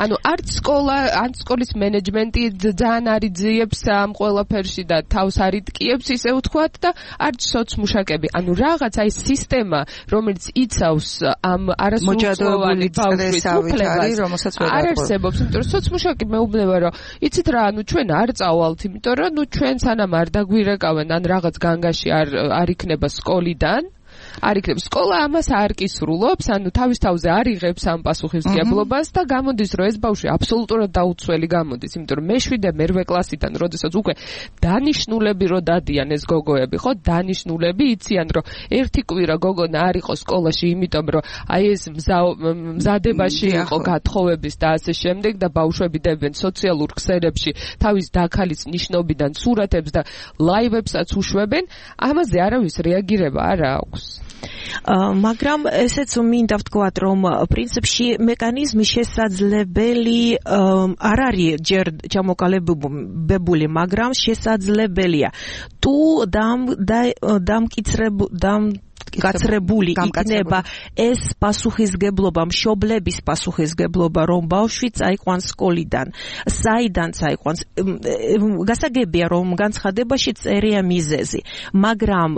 S6: ანუ არც სკოლა, არც სკოლის მენეჯმენტი ძალიან არიძიებს ამ ყველაფერში და თავს არიტკიებს ისე ვთქვათ და არც სოცმუშაკები. ანუ რაღაც აი სისტემა, რომელიც იცავს ამ არასრულწლოვანი ბავშვის უფლებას, არ არსებობს, იმიტომ რომ სოცმუშაკი მეუბნება, რომ იცით რა, ანუ ჩვენ არ წავალთ, იმიტომ რომ ნუ ჩვენ სანამ არ დაგვირეკავენ, ან რაღაც განგაში არ არ იქნება სკოლიდან. არ იქნება სკოლა ამას არ კისრულობს, ანუ თავის თავზე არ იღებს ამ პასუხისმგებლობას და გამოდის, რომ ეს ბავშვი აბსოლუტურად დაუცველი გამოდის, იმიტომ რომ მეშვიდე მერვე კლასიდან, როდესაც უკვე დანიშნულები რო დადიან ეს გოგოები, ხო, დანიშნულები იციან, რომ ერთი კვირა გოგონა არ იყო სკოლაში, იმიტომ რომ აი ეს მზადებაში იყო გათხოვების და ასე შემდეგ და ბავშვები დებენ სოციალურ ქსელებში თავის დაქალის ნიშნობიდან სურათებს და ლაივებსაც უშვებენ, ამაზე არავის რეაგირება არ აქვს.
S7: მაგრამ ესეც მინდა ვთქვათ, რომ პრინციპში მექანიზმი შესაძლებელი არ არის ჯერ ჩამოყალიბებული, მაგრამ შესაძლებელია. თუ დამკიცრებულ გაცრებული იქნება ეს პასუხისგებლობა, მშობლების პასუხისგებლობა, რომ ბავშვი წაიყვანს სკოლიდან, საიდან წაიყვანს. გასაგებია, რომ განცხადებაში წერია მიზეზი, მაგრამ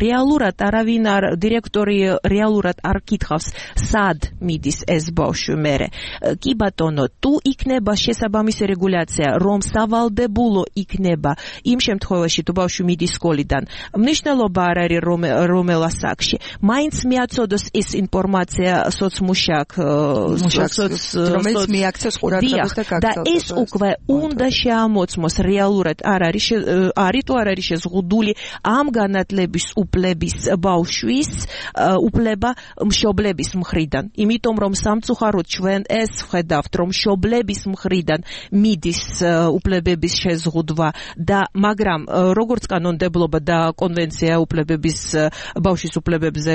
S7: რეალურად არავინ არ დირექტორი რეალურად არ კითხავს, სად მიდის ეს ბავშვი მერე. კი ბატონო, თუ იქნება შესაბამისი რეგულაცია, რომ სავალდებულო იქნება იმ შემთხვევაში, თუ ბავშვი მიდის სკოლიდან, მნიშვნელობა არ არის რომელ ასაკში. მაინც მიაწოდოს ის ინფორმაცია სოცმუშაკ,
S3: რომელიც მიაქცევს ყურადღებას და გაგზავნოს.
S7: და ეს უკვე უნდა შეამოწმოს რეალურად არ არის არის თუ არ არის შეზღუდული ამ განათლების უფლების ბავშვის უფლება მშობლების მხრიდან. იმიტომ რომ სამწუხაროდ ჩვენ ეს ვხედავთ, რომ მშობლების მხრიდან მიდის უფლებების შეზღუდვა და მაგრამ როგორც კანონმდებლობა და კონვენცია უფლებების ბავშვის უფლებებზე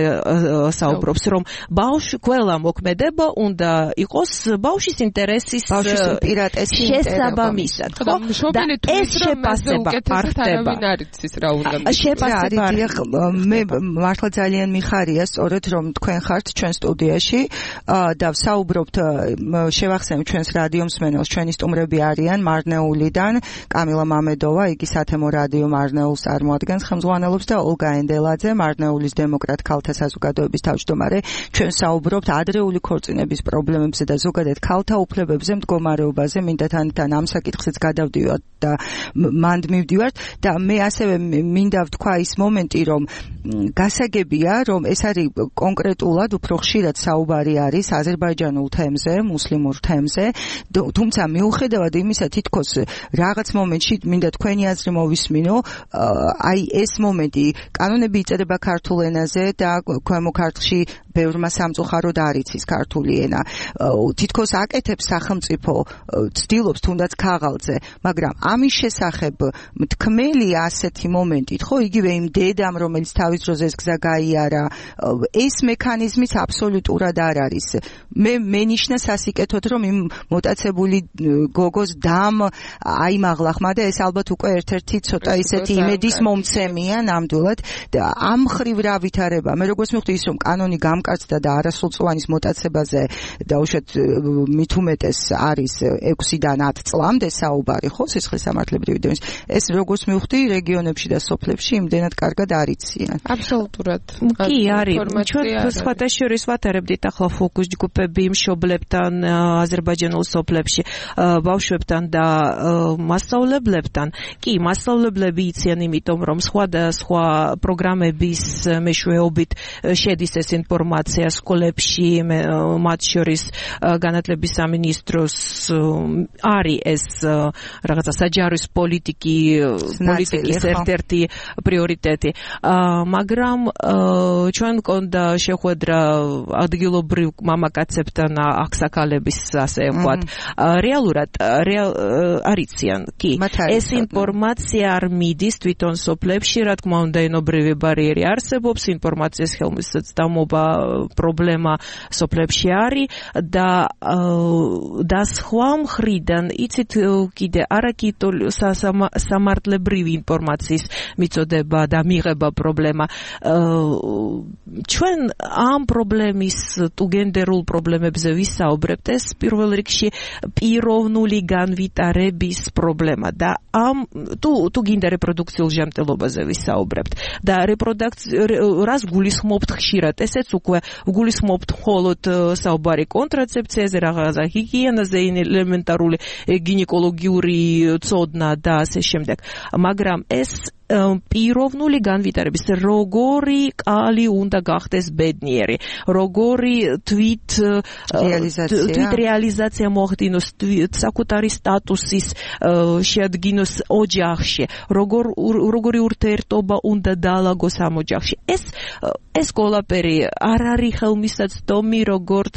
S7: საუბრობს, რომ ბავშვი ყველა მოქმედება უნდა იყოს ბავშვის ინტერესის შესაბამისად. და ეს შეფასება არ ხდება. შეფასება
S3: მე მართლა ძალიან მიხარია სწორედ რომ თქვენ ხართ ჩვენ სტუდიაში და ვსაუბრობთ, შევახსენებ ჩვენს რადიო მსმენელს, ჩვენი სტუმრები არიან მარნეულიდან კამილა მამედოვა, იგი სათემო რადიო მარნეულს წარმოადგენს, ხელმძღვანელობს და ოლგა ენდელაძე, მარნეულის დემოკრატ ქალთა საზოგადოების თავმჯდომარე. ჩვენ საუბრობთ ადრეული ქორწინების პრობლემებზე და ზოგადად ქალთა უფლებებზე, მდგომარეობაზე. მინდა თანთან ამ საკითხზეც გადავდივართ და მანდ მივდივართ და მე ასევე მინდა ვთქვა ის მომენტი, რომ გასაგებია, რომ ეს არის კონკრეტულად უფრო ხშირად საუბარი არის აზერბაიჯანულ თემზე, მუსლიმურ თემზე, თუმცა მიუხედავად იმისა, თითქოს რაღაც მომენტში მინდა თქვენი აზრი მოვისმინო, აი ეს მომენტი, კანონები იწერება ქართულ ენაზე და ქვემო ქართლში ბევრმა სამწუხაროდ არ იცის ქართული ენა. თითქოს აკეთებს სახელმწიფო, ცდილობს თუნდაც ქაღალდზე, მაგრამ ამის შესახებ მთქმელია ასეთი მომენტით, ხო, იგივე იმ დედამ, რომელიც თავის დროზე ეს გზა გაიარა, ეს მექანიზმიც აბსოლუტურად არ არის. მე მენიშნა სასიკეთოდ, რომ იმ მოტაცებული გოგოს დამ აიმაღლა ხმა და ეს ალბათ უკვე ერთ-ერთი ცოტა ისეთი იმედის მომცემია ნამდვილად და ამ ხრივ რა ვითარება. მე როგორც მივხვდი ის, რომ კანონი გამკაცდა და არასრულწლოვანის მოტაცებაზე და უშუალოდ მით უმეტეს არის ექვსიდან ათ წლამდე საუბარი, ხო, სისხლის სამართლებრივი დენის. ეს როგორც მივხვდი რეგიონებში და სოფლებში იმდენად კარგად არ იციან.
S6: აბსოლუტურად.
S7: კი, არის. ჩვენ სხვათა შორის ვატარებდით ახლა ფოკუს ჯგუფები მშობლებთან აზერბაიჯანულ სოფლებში, ბავშვებთან და მასწავლებლებთან. კი, მასწავლებლები იციან, იმიტომ რომ სხვა და სხვა პროგრამების მეშვეობით შედის ეს ინფორმაცია სკოლებში, მათ შორის განათლების სამინისტროს არის ეს რაღაცა საჯარის პოლიტიკი პოლიტიკის ერთ-ერთი პრიორიტეტი. მაგრამ ჩვენ მქონდა შეხვედრა ადგილობრივ მამაკაცებთან, აღსაკალების, ასე ვთქვათ. რეალურად არიციან, კი. ეს ინფორმაცია არ მიდის თვითონ სოფლებში, რა თქმა უნდა, ენობრივი ბარიერი არსებობს, ინფორმაციის ხელმისაწვდომობა პრობლემა სოფლებში არის და და სხვა მხრიდან იცით კიდე არაკითოლ სამართლებრივი ინფორმაციის მიწოდება და მიღება პრობლემა. ჩვენ ამ პრობლემის თუ გენდერულ პრობლემებზე ვისაუბრებთ, ეს პირველ რიგში პიროვნული განვითარების პრობლემა და ამ თუ თუ გინდა რეპროდუქციულ ჟამტელობაზე ვისაუბრებთ და რას გულისხმობთ ხშირად, ესეც უკვე გულისხმობთ მხოლოდ საუბარი კონტრაცეფციაზე, რაღაცა ჰიგიენაზე, ელემენტარული გინეკოლოგიური ცოდნა და ასე შემდეგ. მაგრამ ეს პიროვნული განვითარების როგორი კალი უნდა გახდეს ბედნიერი, როგორი თვით თვით რეალიზაცია მოახდინოს, საკუთარი სტატუსის შეადგინოს ოჯახში, როგორ როგორი ურთიერთობა უნდა დაალაგოს ამ ოჯახში. ეს ეს ყველაფერი არ არის ხელმისაწვდომი როგორც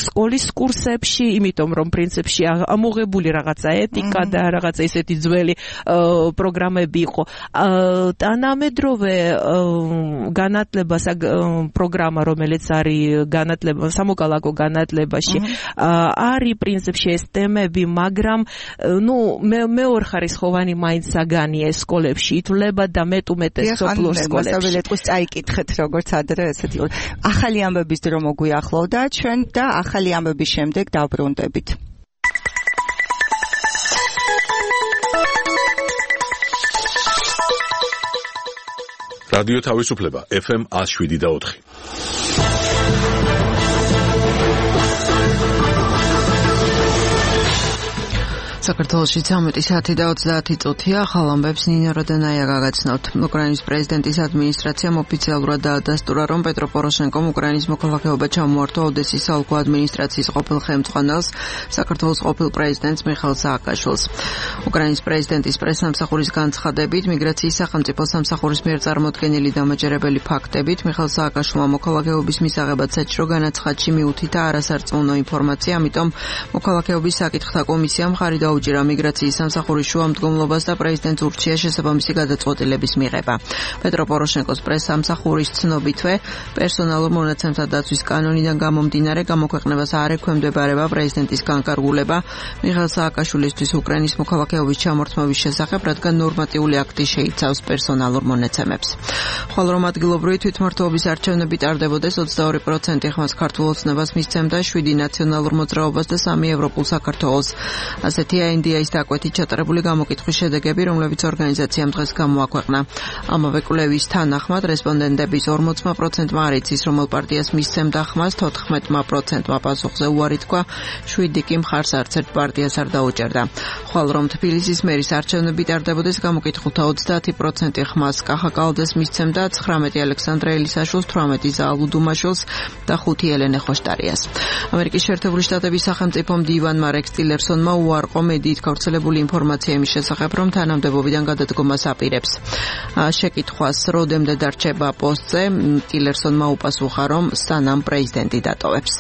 S7: სკოლის კურსებში, იმიტომ რომ პრინციპში ამოღებული რაღაცა ეთიკა და რაღაცა ისეთი ძველი პროგრამები იყო. თანამედროვე განათლება პროგრამა, რომელიც არის განათლება სამოქალაქო განათლებაში, არის პრინციპში ეს თემები, მაგრამ ნუ მეორეხარისხოვანი მაინც საგანია სკოლებში ითვლება და მეტ უმეტეს სოფლურ სკოლებში.
S3: წაიკითხეთ როგორც ადრე ესეთი ახალი ამბების დრო მოგვიახლოვდა ჩვენ და ახალი ამბების შემდეგ დავბრუნდებით.
S1: რადიო თავისუფლება ეფ ემ one oh seven და four.
S2: საქართველოში ცამეტი საათი და ოცდაათი წუთია. ახალ ამბებს ნინო როდენაია გაგაცნობთ. უკრაინის პრეზიდენტის ადმინისტრაციამ ოფიციალურად დაადასტურა, რომ პეტრო პოროშენკომ უკრაინის მოქალაქეობა ჩამოართვა ოდესის საოლქო ადმინისტრაციის ყოფილ ხელმძღვანელს, საქართველოს ყოფილ პრეზიდენტს მიხეილ სააკაშვილს. უკრაინის პრეზიდენტის პრესსამსახურის განცხადებით, მიგრაციის სახელმწიფო სამსახურის მიერ წარმოდგენილი დამაჯერებელი ფაქტებით, მიხეილ სააკაშვილმა მოქალაქეობის მისაღებად საჭირო განაცხადში მიუთითა არასარწმუნო ინფორმაცია, ამიტომ მოქალაქეობის საკითხთა კომისიამ ხარი დაუჭირა მიგრაციის სამსახურის შუამდგომლობას და პრეზიდენტს ურჩია შესაბამისი გადაწყვეტილების მიღება. პეტრო პოროშენკოს პრესსამსახურის ცნობითვე, პერსონალურ მონაცემთა დაცვის კანონიდან გამომდინარე გამოქვეყნებას არ ექვემდებარება პრეზიდენტის განკარგულება მიხეილ სააკაშვილისთვის უკრაინის მოქალაქეობის ჩამორთმევის შესახებ, რადგან ნორმატიული აქტი შეიცავს პერსონალურ მონაცემებს. ხოლო რომ ადგილობრივი თვითმმართველობის არჩევნები ტარდებოდეს, ოცდაორი პროცენტი ხმას ქართულ ოცნებას მისცემდა, შვიდი ნაციონალურ მოძრაობას და სამი ევროპულ საქართველოს. ასეთია ინდიაის დაკვეთით ჩატარებული გამოკითხვის შედეგები, რომლებიც ორგანიზაციამ დღეს გამოაქვეყნა. ამავე კვლევის თანახმად რესპონდენტების ორმოცი პროცენტმა არ იცის, რომელ პარტიას მისცემდა ხმას, თოთხმეტი პროცენტმა პასუხზე უარი თქვა, შვიდი კი მხარს არც ერთ პარტიას არ დაუჭერდა. ხვალ რომ თბილისის მერის არჩევნები ტარდებოდეს, გამოკითხულთა ოცდაათი პროცენტი ხმას კახა კალდეს მისცემდა, ცხრამეტი ალექსანდრე ელისაშვილს, თვრამეტი ზაალ უდუმაშვილს და ხუთი ელენე ხოშტარიას. ამერიკის შეერთებული შტატების სახელმწიფო მდივანმა რექს ტილერსონმა უარყო მედიით გავრცელებული ინფორმაცია იმის შესახებ, რომ თანამდებობიდან გადადგომას აპირებს. შეკითხვას როდემდე დარჩება პოსტზე, ტილერსონმა უპასუხა, რომ სანამ პრეზიდენტი დატოვებს.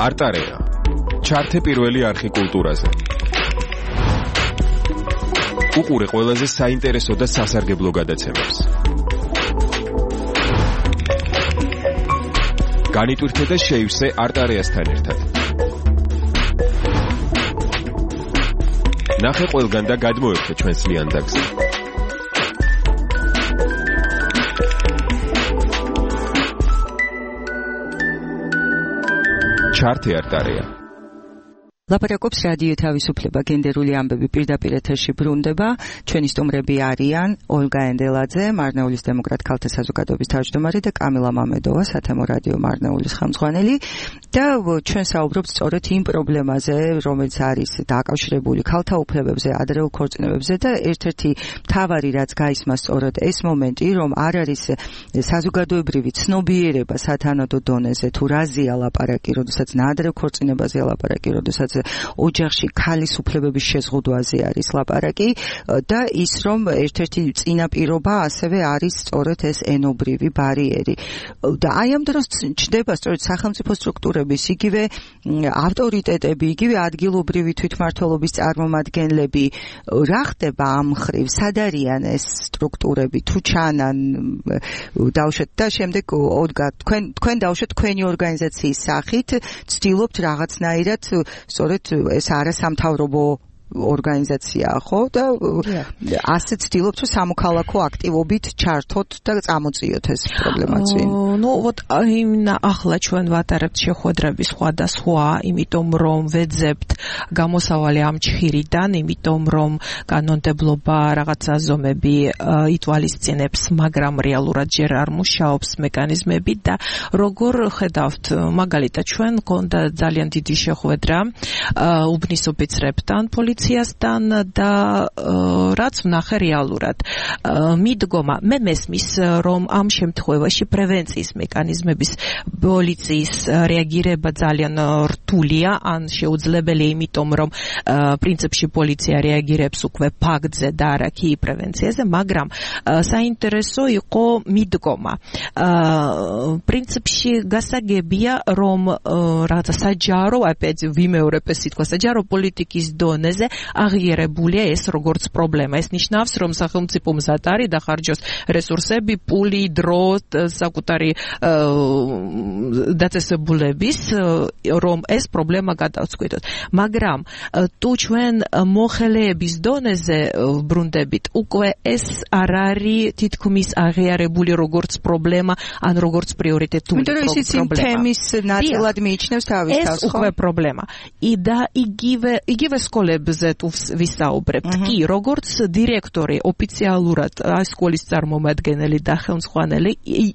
S5: არტარეა. ჩართე პირველი არხი კულტურაზე. უყურე ყველაზე საინტერესო და სასარგებლო გადაცემებს. განიტვირთე და შეივსე არტარეასთან ერთად. ნახე ყველგან და გადმოერთე ჩვენს ლიანდაგზე. ჩართე არტარეა.
S3: ლაპარაკობს რადიო თავისუფლება, გენდერული ამბები პირდაპირ ეთერში ბრუნდება. ჩვენი სტუმრები არიან ოლგა ენდელაძე, მარნეულის დემოკრატ ქალთა საზოგადოების თავმჯდომარე და კამილა მამედოვა, სათემო რადიო მარნეულის ხელმძღვანელი. და ჩვენ საუბრობთ სწორედ იმ პრობლემაზე, რომელიც არის დაკავშირებული ქალთა უფლებებზე, ადრეულ ქორწინებებზე და ერთ-ერთი მთავარი რაც გაისმა სწორედ ეს მომენტი, რომ არ არის საზოგადოებრივი ცნობიერება სათანადო დონეზე, თუ რაზეა ლაპარაკი, როდესაც ნაადრევ ქორწინებაზეა ლაპარაკი, როდესაც ოჯახში ქალის უფლებების შეზღუდვაზე არის ლაპარაკი და ის რომ ერთ-ერთი წინაპირობა ასევე არის სწორედ ეს ენობრივი ბარიერი. და აი ამ დროს ჩნდება სწორედ სახელმწიფო სტრუქტურების იგივე ავტორიტეტები, იგივე ადგილობრივი თვითმმართველობის წარმომადგენლები. რა ხდება ამ მხრივ? სად არიან ეს სტრუქტურები? თუ ჩანან დავუშვათ და შემდეგ ოლგა თქვენ თქვენ დავუშვათ თქვენი ორგანიზაციის სახით ცდილობთ რაღაცნაირად სწორედ ეს არასამთავრობო ორგანიზაციაა, ხო? და ასე ცდილობთ, რომ სამოქალაქო აქტივობით ჩართოთ და წამოწიოთ ეს პრობლემა წინ.
S7: ну вот именно ახლა ჩვენ ვატარებთ შეხვედრების სხვადასხვა, იმიტომ რომ ვეძებთ გამოსავალი ამ ჩხირიდან, იმიტომ რომ კანონმდებლობა რაღაცა ზომები ითვალისწინებს, მაგრამ რეალურად ჯერ არ მუშაობს მექანიზმები და როგორ ხედავთ, მაგალითად ჩვენ გქონდა ძალიან დიდი შეხვედრა უბნის ოფიცრებთან, პოლიციასთან და რაც ვნახე რეალურად მიდგომა, მე მესმის რომ ამ შემთხვევაში პრევენციის მექანიზმების პოლიციის რეაგირება ძალიან რთულია, ან შეუძლებელია, იმიტომ რომ პრინციპში პოლიცია რეაგირებს უკვე ფაქტზე და არა კი პრევენციაზე, მაგრამ საინტერესო იყო მიდგომა. პრინციპში გასაგებია, რომ რაღაცა საჯარო, ოპეც ვიმეორებ ეს სიტყვა, საჯარო პოლიტიკის დონეზე აღიარებულია ეს როგორც პრობლემა. ეს ნიშნავს, რომ სახელმწიფო მზად არის დახარჯოს რესურსები, პული, დრო, საკუთარი დაწესებულების, რომ ეს პრობლემა გადავწყვიტოთ. მაგრამ თუ ჩვენ მოხელეების დონეზე ბრუნდებით, უკვე ეს არ არის თითქმის აღიარებული როგორც პრობლემა, ან როგორც პრიორიტეტული პრობლემა.
S3: იმიტომ რომ ისიც იმ თემის ნაწილად მიიჩნევს თავის თავს,
S7: ეს უკვე პრობლემა. და იგივე იგივე სკოლებზე თუ ვისაუბრებთ, კი, როგორც დირექტორი ოფიციალურად სკოლის წარმომადგენელი და ხელმძღვანელი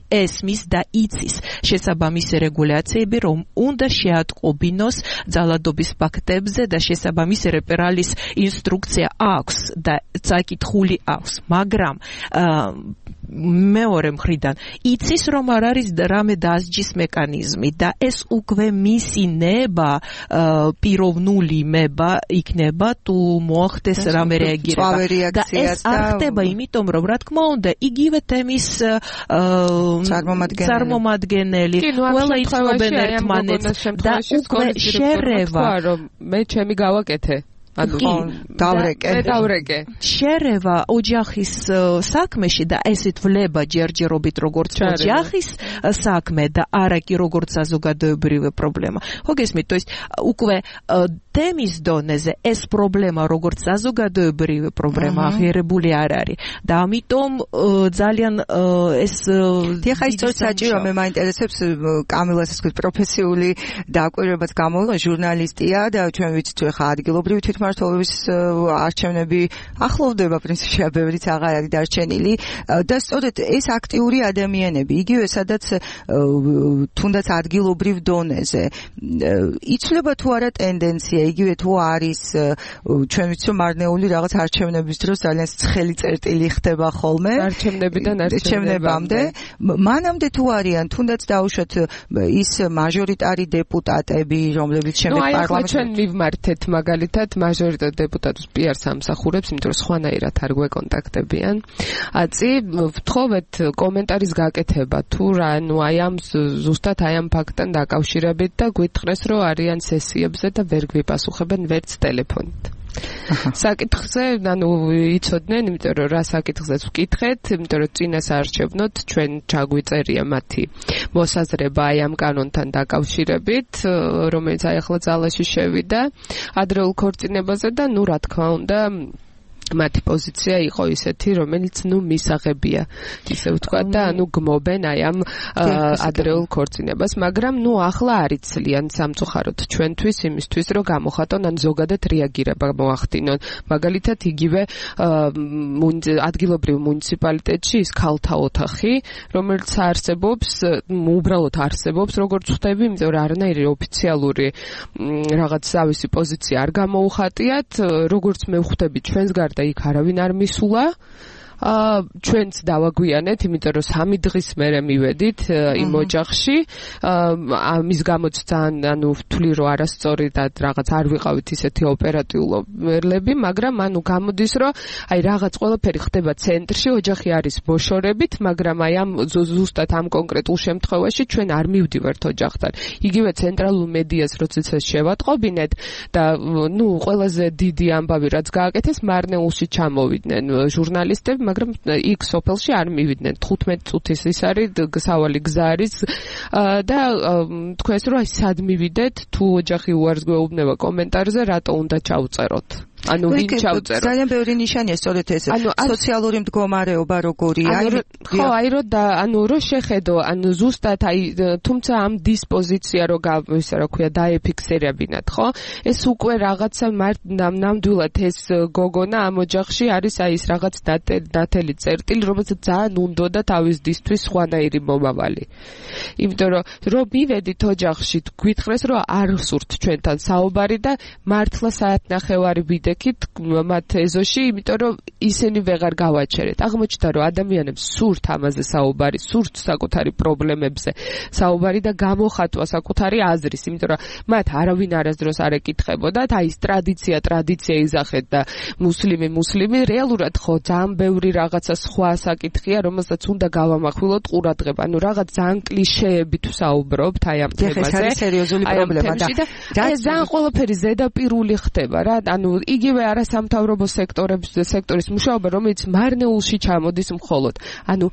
S7: ესმის და იცის შესაბამისი რეგულაციები, რომ უნდა შეატყობინოს ძალადობის ფაქტებზე და შესაბამისი რეპერალის ინსტრუქცია აქვს და წაკითხული აქვს, მაგრამ მეორე მხრიდან იცის, რომ არ არის რამე დასჯის მექანიზმი და ეს უკვე მისი ნება, პიროვნული ნება იქნება თუ მოახდეს რამე რეაგირება და ეს არ ხდება, იმიტომ რომ რა თქმა უნდა იგივე თემის წარმომადგენელი ყველა იცნობენ ერთმანეთს და უკვე შერევა,
S6: რომ მე ჩემი გავაკეთე.
S3: ანუ დავრეკე
S6: დავრეკე
S7: შერევა ოჯახის საქმეში და ესეთ ვლება ჯერჯერობით როგორც ოჯახის საქმე და არა კი როგორც საზოგადოებრივი პრობლემა. ხო გესმით, то есть უკვე თემის დონეზე ეს პრობლემა როგორც საზოგადოებრივი პრობლემა აღიარებული არ არის და ამიტომ ძალიან ეს
S3: დიახ, ის სწორედ საჭირო, მე მაინტერესებს კამილას ეს პროფესიული დაკვირვებაც გამოიღო, ჟურნალისტია და ჩვენ ვიცით რომ ხა ადგილობრივი თვითმმართველობის არჩევნები ახლოვდება, პრინციპში ბევრიც აღარ არის დარჩენილი და სწორედ ეს აქტიური ადამიანები, იგივე სადაც თუნდაც ადგილობრივ დონეზე იცვლება თუ არა ტენდენცია, იგივე თუ არის ჩვენ ვიცით რომ მარნეული რაღაც არჩევნების დროს ძალიან ცხელი წერტილი ხდება ხოლმე
S6: არჩევნებიდან არჩევნებამდე,
S3: მანამდე თუ არიან თუნდაც დაუშვათ ის მაჟორიტარი დეპუტატები, რომლებიც შემდეგ პარლამენტში
S6: ჩვენ მივმართეთ მაგალითად მაჟორიტარ დეპუტატს პიარს ამსახურებს, იმიტომ რომ სხვანაირად არ გვეკონტაქტებიან. აწი ვთხოვეთ კომენტარის გაკეთება თუ რა, ანუ აი ამ ზუსტად აი ამ ფაქტთან დაკავშირებით და გვითხრეს რომ არიან სესიებზე და ვერ გვიპასუხებენ ვერც ტელეფონით. საკითხზე, ანუ იცოდნენ, იმიტომ რომ რა საკითხზეც ვკითხეთ, იმიტომ რომ წინას არჩევნოთ ჩვენ ჩაგვიწერია მათი მოსაზრება აი ამ კანონთან დაკავშირებით, რომელიც აი ახლა ძალაში შევიდა ადრეულ ქორწინებაზე და ნუ რა თქმა უნდა მათი პოზიცია იყო ისეთი, რომელიც ნუ მისაღებია, ისე ვთქვა და ანუ გმობენ აი ამ ადრეულ ქორწინებას, მაგრამ ნუ ახლა არ იცლიან სამწუხაროდ ჩვენთვის იმისთვის, რომ გამოხატონ ან ზოგადად რეაგირება მოახდინონ. მაგალითად, იგივე ადგილობრივ მუნიციპალიტეტში ის ქალთა ოთახი, რომელიც არსებობს, უბრალოდ არსებობს, როგორც ხვდები, იმიტომ რომ არანაირი ოფიციალური რაღაც თავისი პოზიცია არ გამოუხატიათ, როგორც მე ვხვდები ჩვენს გარდა და იქ არავინ არ მისულა. აა ჩვენც დავაგვიანეთ, იმიტომ რომ სამი დღის მერე მივედით იმ ოჯახში. აა მის გამოც ძალიან ანუ ვთვლი რომ არასწორი და რაღაც არ ვიყავით ისეთი ოპერატიულობები, მაგრამ ანუ გამოდის რომ აი რაღაც ყველაფერი ხდება ცენტრში, ოჯახი არის ბოშორებით, მაგრამ აი ამ ზუსტად ამ კონკრეტულ შემთხვევაში ჩვენ არ მივდივართ ოჯახთან. იგივე ცენტრალურ მედიას როდესაც შევატყობინეთ და ნუ ყველაზე დიდი ამბავი რაც გააკეთეს, მარნეულში ჩამოვიდნენ ჟურნალისტები, მაგრამ იქ სოფელში არ მივიდნენ. თხუთმეტი წუთის ის არის სავალი გზა არის და თქვენს რომ აი სად მივიდეთ, თუ ოჯახი უარს გვეუბნება კომენტარზე, რატო უნდა ჩავწეროთ. ანუ ვინ ჩავწერო?
S3: ძალიან ბევრი ნიშანია სწორედ ეს. სოციალური მდგომარეობა როგორია?
S6: ხო, აი რომ და ანუ რო შეხედო, ანუ ზუსტად აი თუმცა ამ დისპოზიცია რო ისე რა ქვია დაეფიქსირებინათ, ხო? ეს უკვე რაღაცა ნამდვილად ეს გოგონა ამ ოჯახში არის აი ეს რაღაც დათელი წერტილი, რომელსაც ძალიან უნდოდა თავის დისთვის სხვანაირი მომავალი. იმიტომ რომ რო მივედით ოჯახში, გვითხრეს რომ არ ვსურთ ჩვენთან საუბარი და მართლა საათნახევარი ვიდე მათ ეზოში, იმიტომ რომ ისინი ვეღარ გავაჩერეთ. აღმოჩნდა რომ ადამიანებს სურთ ამაზე საუბარი, სურთ საკუთარი პრობლემებზე საუბარი და გამოხატვა საკუთარი აზრის, იმიტომ რომ მათ არავინ არასდროს არ ეკითხებოდათ, აი ეს ტრადიცია, ტრადიცია იზახეთ და მუსლიმი, მუსლიმი, რეალურად ხო ძალიან ბევრი რაღაცა სხვა საკითხია, რომელსაც უნდა გავამახვილოთ ყურადღება. ანუ რაღაც ძალიან კლიშეებით ვსაუბრობთ აი ამ თემაზე.
S3: ეს სერიოზული პრობლემა და
S6: ეს ძალიან ყველაფერი ზედაპირული ხდება რა, ანუ იგივე არასამთავრობო სექტორების სექტორის მუშაობა, რომელიც მარნეულში ჩამოდის მხოლოდ. ანუ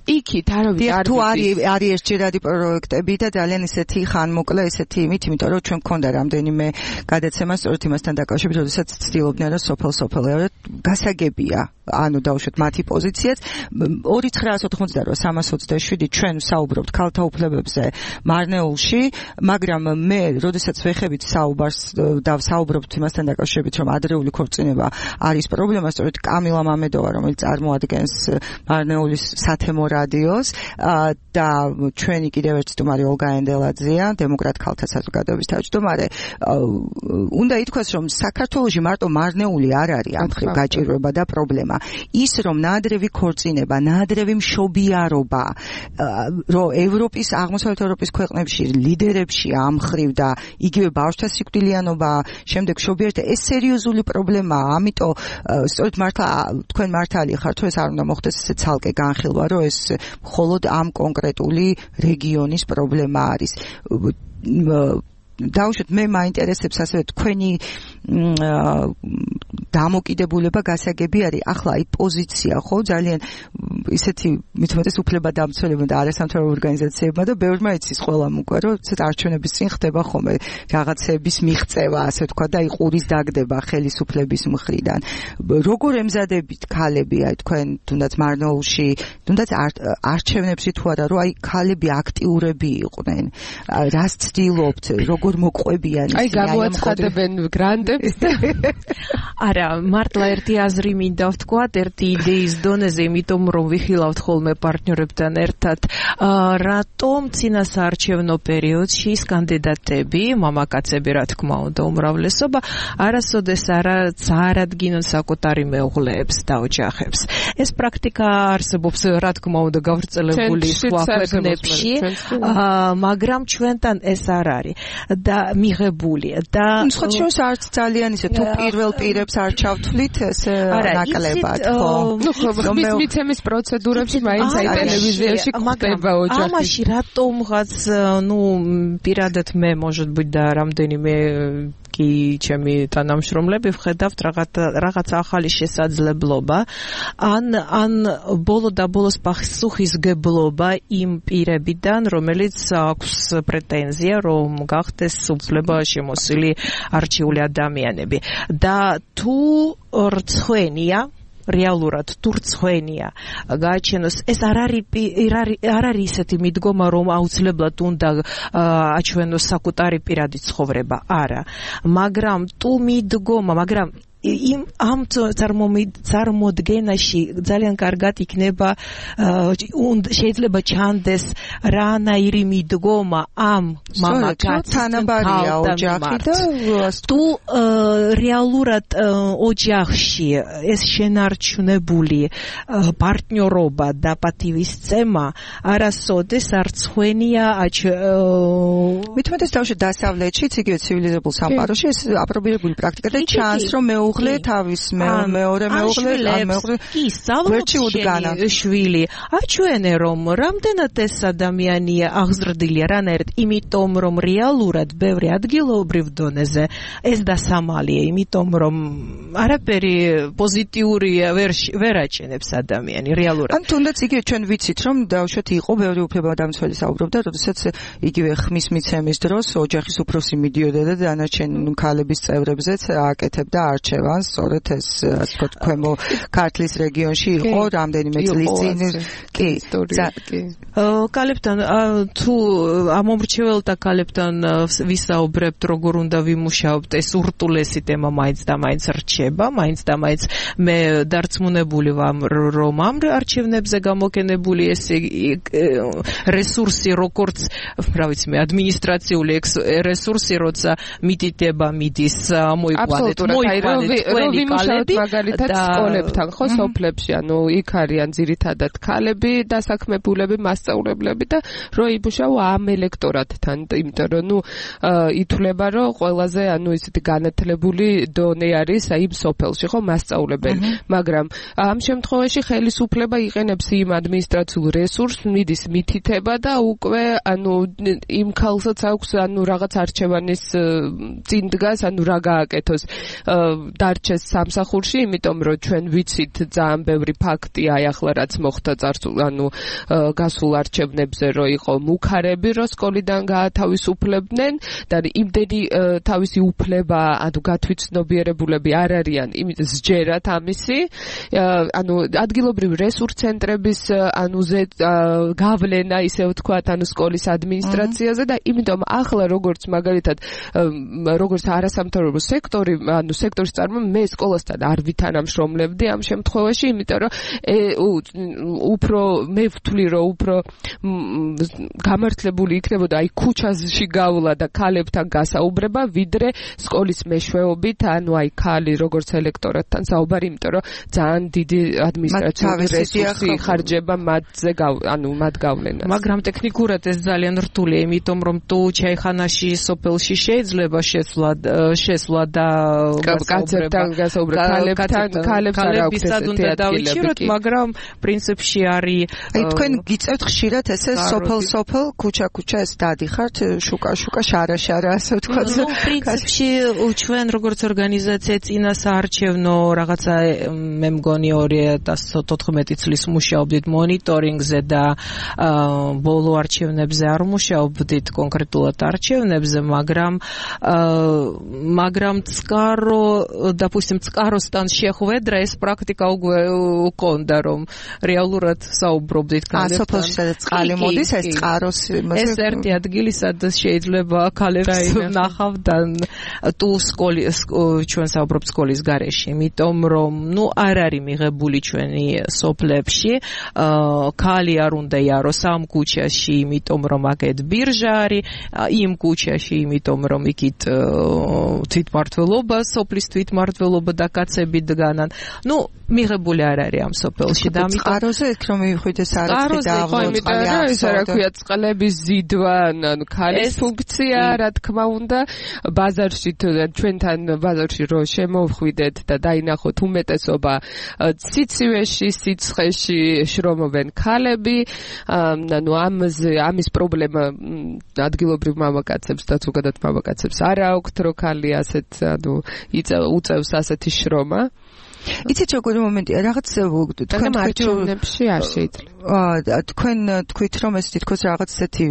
S6: იქით არავინ არ
S3: თუ არის არის ერთჯერადი პროექტები და ძალიან ისეთი ხანმოკლე ისეთი იმით, იმიტომ რომ ჩვენ გქონდა რამდენიმე გადაცემა სწორედ იმასთან დაკავშირებით, როდესაც ცდილობდნენ რომ სოფელ-სოფელეურად გასაგებია, ანუ დავუშვათ მათი პოზიციაც. ორი ცხრა ოცდაოთხი სამას ოცდაშვიდი ჩვენ საუბრობთ ქალთა უფლებებზე მარნეულში, მაგრამ მე როდესაც ვეხებით საუბარს და საუბრობთ იმასთან დაკავშირებით, რომ ადრეული ქორწინება არის პრობლემა, სწორედ კამილა მამედოვა, რომელიც წარმოადგენს მარნეულის სათემო რადიოს და ჩვენი კიდევ ერთი სტუმარი ოლგა ენდელაძეა, დემოკრატ ქალთა საზოგადოების თავმჯდომარე. უნდა ითქვას, რომ საქართველოში მარტო მარნეული არ არის ამ ხრივ გაჭირვება და პრობლემა. ის რომ ნაადრევი ქორწინება, ნაადრევი მშობიარობა, რომ ევროპის, აღმოსავლეთ ევროპის ქვეყნებში ლიდერებში ამ ხრივ და იგივე ბავშვთა სიკვდილიანობა, შემდეგ მშობიართა, ეს სერიოზული პრობლემაა, ამიტომ სწორედ მართლა თქვენ მართალი ხართ, რომ ეს არ უნდა მოხდეს ესე ცალკე განხილვა, რომ ეს მხოლოდ ამ კონკრეტული რეგიონის პრობლემა არის. დავუშვათ, მე მაინტერესებს ასევე თქვენი დამოკიდებულება გასაგები არის. ახლა აი პოზიცია ხო ძალიან ისეთი მithumetes უფლებადამცველებმა და არასამთავრობო ორგანიზაციებმა და ბევრმა იცის ყველამ უკვე რომ ცეთ არჩევნების წინ ხდება ხოლმე რაღაცების მიღწევა, ასე თქვა და იყურის დაგდება ხელისუფლების მხრიდან. როგორ ემზადებით ქალები აი თქვენ თუნდაც მარნეულში, თუნდაც არჩევნებში თუ არა, რომ აი ქალები აქტიურები იყვნენ. რას ცდილობთ, როგორ მოყვებიან
S6: ისინი? აი გამოაცხადებენ გრანდებს.
S7: არა, მართლა ერთი აზრი მინდა ვთქვათ, ერთი იდეის დონეზე, იმიტომ რომ ვიხილავთ ხოლმე პარტნიორებთან ერთად, რატომ წინასაარჩევნო პერიოდში ის კანდიდატები, მამაკაცები რა თქმა უნდა, უმრავლესობა, არასოდეს არა წარადგინონ საკუთარი მეუღლეებს და ოჯახებს. ეს პრაქტიკა არსებობს რა თქმა უნდა გავრცელებული სხვა ქვეყნებში, მაგრამ ჩვენთან ეს არ არის. და მიღებული და
S3: სხვა შორის არც ძალიან ისე თუ პირველ პირებს არ ჩავთვლით ესე ნაკლებად ხო
S6: ნუ ხო მიცემის პროცედურებში მაინც აი ტელევიზიაში ხდება ოჯახი
S7: ამაში რატომღაც ნუ პირადად მე может быть და რამდენიმე კი ჩემი თანამშრომლები ვხედავთ რაღაც რაღაც ახალი შესაძლებლობა ან ან ბოლო და ბოლოს პასუხისგებლობა იმ პირებიდან რომელიც აქვს პრეტენზია რომ გახდეს უფლება შემოსილი არჩეული ადამიანები და თუ რცხვენია რეალურად თუ რცხვენია გააჩენოს ეს არ არის არ არის ისეთი მიდგომა რომ აუცილებლად უნდა აჩვენოს საკუთარი პირადი ცხოვრება არა მაგრამ თუ მიდგომა მაგრამ იმ ამ წარმოდგენაში ძალიან კარგად იქნება შეიძლება ჩანდეს რანაირი მიდგომა ამ მამაკაცის
S3: თანაბარია ოჯახი და
S7: თუ რეალურად ოჯახში ეს შენარჩუნებული პარტნიორობა და პატივისცემა არასოდეს არ ცხვენია
S3: მithumetes თავში დასავლეთშიც იგივე ცივილიზებულ სამყაროში ეს აპრობირებული პრაქტიკა და ჩანს რომ მე მეუღლე თავის მეორე მეუღლე ან მეუღლე
S7: კი სწავლობს შვილი აჩვენე რომ რამდენად ეს ადამიანი აღზრდილია რანაირად იმიტომ რომ რეალურად ბევრი ადგილობრივ დონეზე ეს დასამალია იმიტომ რომ არაფერი პოზიტიურია ვერ აჩენებს ადამიანი რეალურად
S3: ან თუნდაც იგივე ჩვენ ვიცით რომ დავუშვათ იყო ბევრი უფლებადამცველი საუბრობდა როდესაც იგივე ხმის მიცემის დროს ოჯახის უფროსი მიდიოდა და დანარჩენ ქალების წევრებზეც აკეთებდა არჩევანს სწორედ ეს ასე ვთქვათ ქვემო ქართლის რეგიონში იყო რამდენიმე წლის წინ კი
S7: კალებთან თუ ამომრჩეველთა კალებთან ვისაუბრებთ როგორ უნდა ვიმუშაოთ ეს ურტულესი თემა მაინც და მაინც რჩება მაინც და მაინც მე დარწმუნებული ვარ რომ ამ არჩევნებზე გამოგენებული ეს რესურსი როგორც რა ვიცი მე ადმინისტრაციული რესურსი როცა მიტიტება მიდის მოიყვანეთ მოიყვანეთ
S6: ვიმუშავოთ მაგალითად სკოლებთან ხო სოფლებში ანუ იქ არიან ძირითადად ქალები დასაქმებულები მასწავლებლები და რო იმუშაო ამ ელექტორატთან იმიტომ რომ ნუ ითვლება რომ ყველაზე ანუ ისეთი განათლებული დონე არის აი იმ სოფელში ხო მასწავლებელი მაგრამ ამ შემთხვევაში ხელისუფლება იყენებს იმ ადმინისტრაციულ რესურსს მიდის მითითება და უკვე ანუ იმ ქალსაც აქვს ანუ რაღაც არჩევანის წინ დგას ანუ რა გააკეთოს დარჩეს სამსახურში, იმიტომ რომ ჩვენ ვიცით ძალიან ბევრი ფაქტი აი ახლა რაც მოხდა წარსულ ანუ გასულ არჩევნებზე რომ იყო მუქარები რომ სკოლიდან გაათავისუფლებდნენ და იმდენი თავისი უფლება ანუ გათვითცნობიერებულები არ არიან იმიტომ სჯერათ ამისი ანუ ადგილობრივი რესურს ცენტრების ანუ გავლენა ისე ვთქვათ ანუ სკოლის ადმინისტრაციაზე და იმიტომ ახლა როგორც მაგალითად როგორც არასამთავრობო სექტორი ანუ სექტორის წარმომადგენელი მე სკოლასთან არ ვითანამშრომლებდი ამ შემთხვევაში, იმიტომ რომ უფრო მე ვთვლი რომ უფრო გამართლებული იქნებოდა აი ქუჩაში გავლა და ქალებთან გასაუბრება, ვიდრე სკოლის მეშვეობით, ანუ აი ქალი როგორც ელექტორატთან საუბარი, იმიტომ რომ ძალიან დიდი ადმინისტრაციული რესურსი ხარჯება მათზე ანუ მათ გავლენას.
S7: მაგრამ ტექნიკურად ეს ძალიან რთულია, იმიტომ რომ თუ ჩაიხანაში სოფელში შეიძლება შესვლა შესვლა და
S6: კაცებთან გასაუბრება, ქალებთან ქალებს არ აქვს ესეთი
S7: დავიჭიროთ, მაგრამ პრინციპში არის
S3: აი თქვენ გიწევთ ხშირად ესე სოფელ-სოფელ, ქუჩა-ქუჩა ეს დადიხართ, შუკა-შუკა, შარა-შარა, ასე ვთქვათ.
S7: ნუ პრინციპში ჩვენ როგორც ორგანიზაცია წინა საარჩევნო რაღაცა მე მგონი ორი ათას ოთხმეტი წლის მუშაობდით მონიტორინგზე და ბოლო არჩევნებზე არ მუშაობდით კონკრეტულად არჩევნებზე, მაგრამ მაგრამ წყარო допустим წყაროსთან შეხვედრა ეს პრაქტიკა უკვე უკონდა რომ რეალურად საუბრობდით
S3: ქალებთან. ა სოფელში სადაც წყალი მოდის ეს წყაროს
S7: ეს ერთი ადგილი სადაც შეიძლება ქალებს ნახავდან თუ სკოლის ჩვენ საუბრობთ სკოლის გარეშე, იმიტომ რომ ნუ არ არის მიღებული ჩვენი სოფლებში ქალი არ უნდა იაროს ამ ქუჩაში, იმიტომ რომ აქეთ ბირჟა არის, იმ ქუჩაში, იმიტომ რომ იქით თვითმმართველობა სოფლის თვით მართლობა და კაცები დგანან. ნუ მიღებული არ არის ამ სოფელში და ამიტომ
S3: წყაროზე იქ რომ მივხვიდეს არაფერი და
S6: აღმოწყალი არის რა ქვია წყლების ზიდვა ანუ ქალის ფუნქცია რა თქმა უნდა ბაზარში ჩვენთან ბაზარში რო შემოვხვიდეთ და დაინახოთ უმეტესობა სიცივეში სიცხეში შრომობენ ქალები ანუ ამაზე ამის პრობლემა ადგილობრივ მამაკაცებს და ზოგადად მამაკაცებს არ აქვთ რო ქალი ასეთ ანუ უწევს ასეთი შრომა
S3: იცით როგორი მომენტია რაღაც
S6: თქვენ მარჯვენებში არ შეიძლება
S3: თქვენ თქვით რომ ეს თითქოს რაღაც ესეთი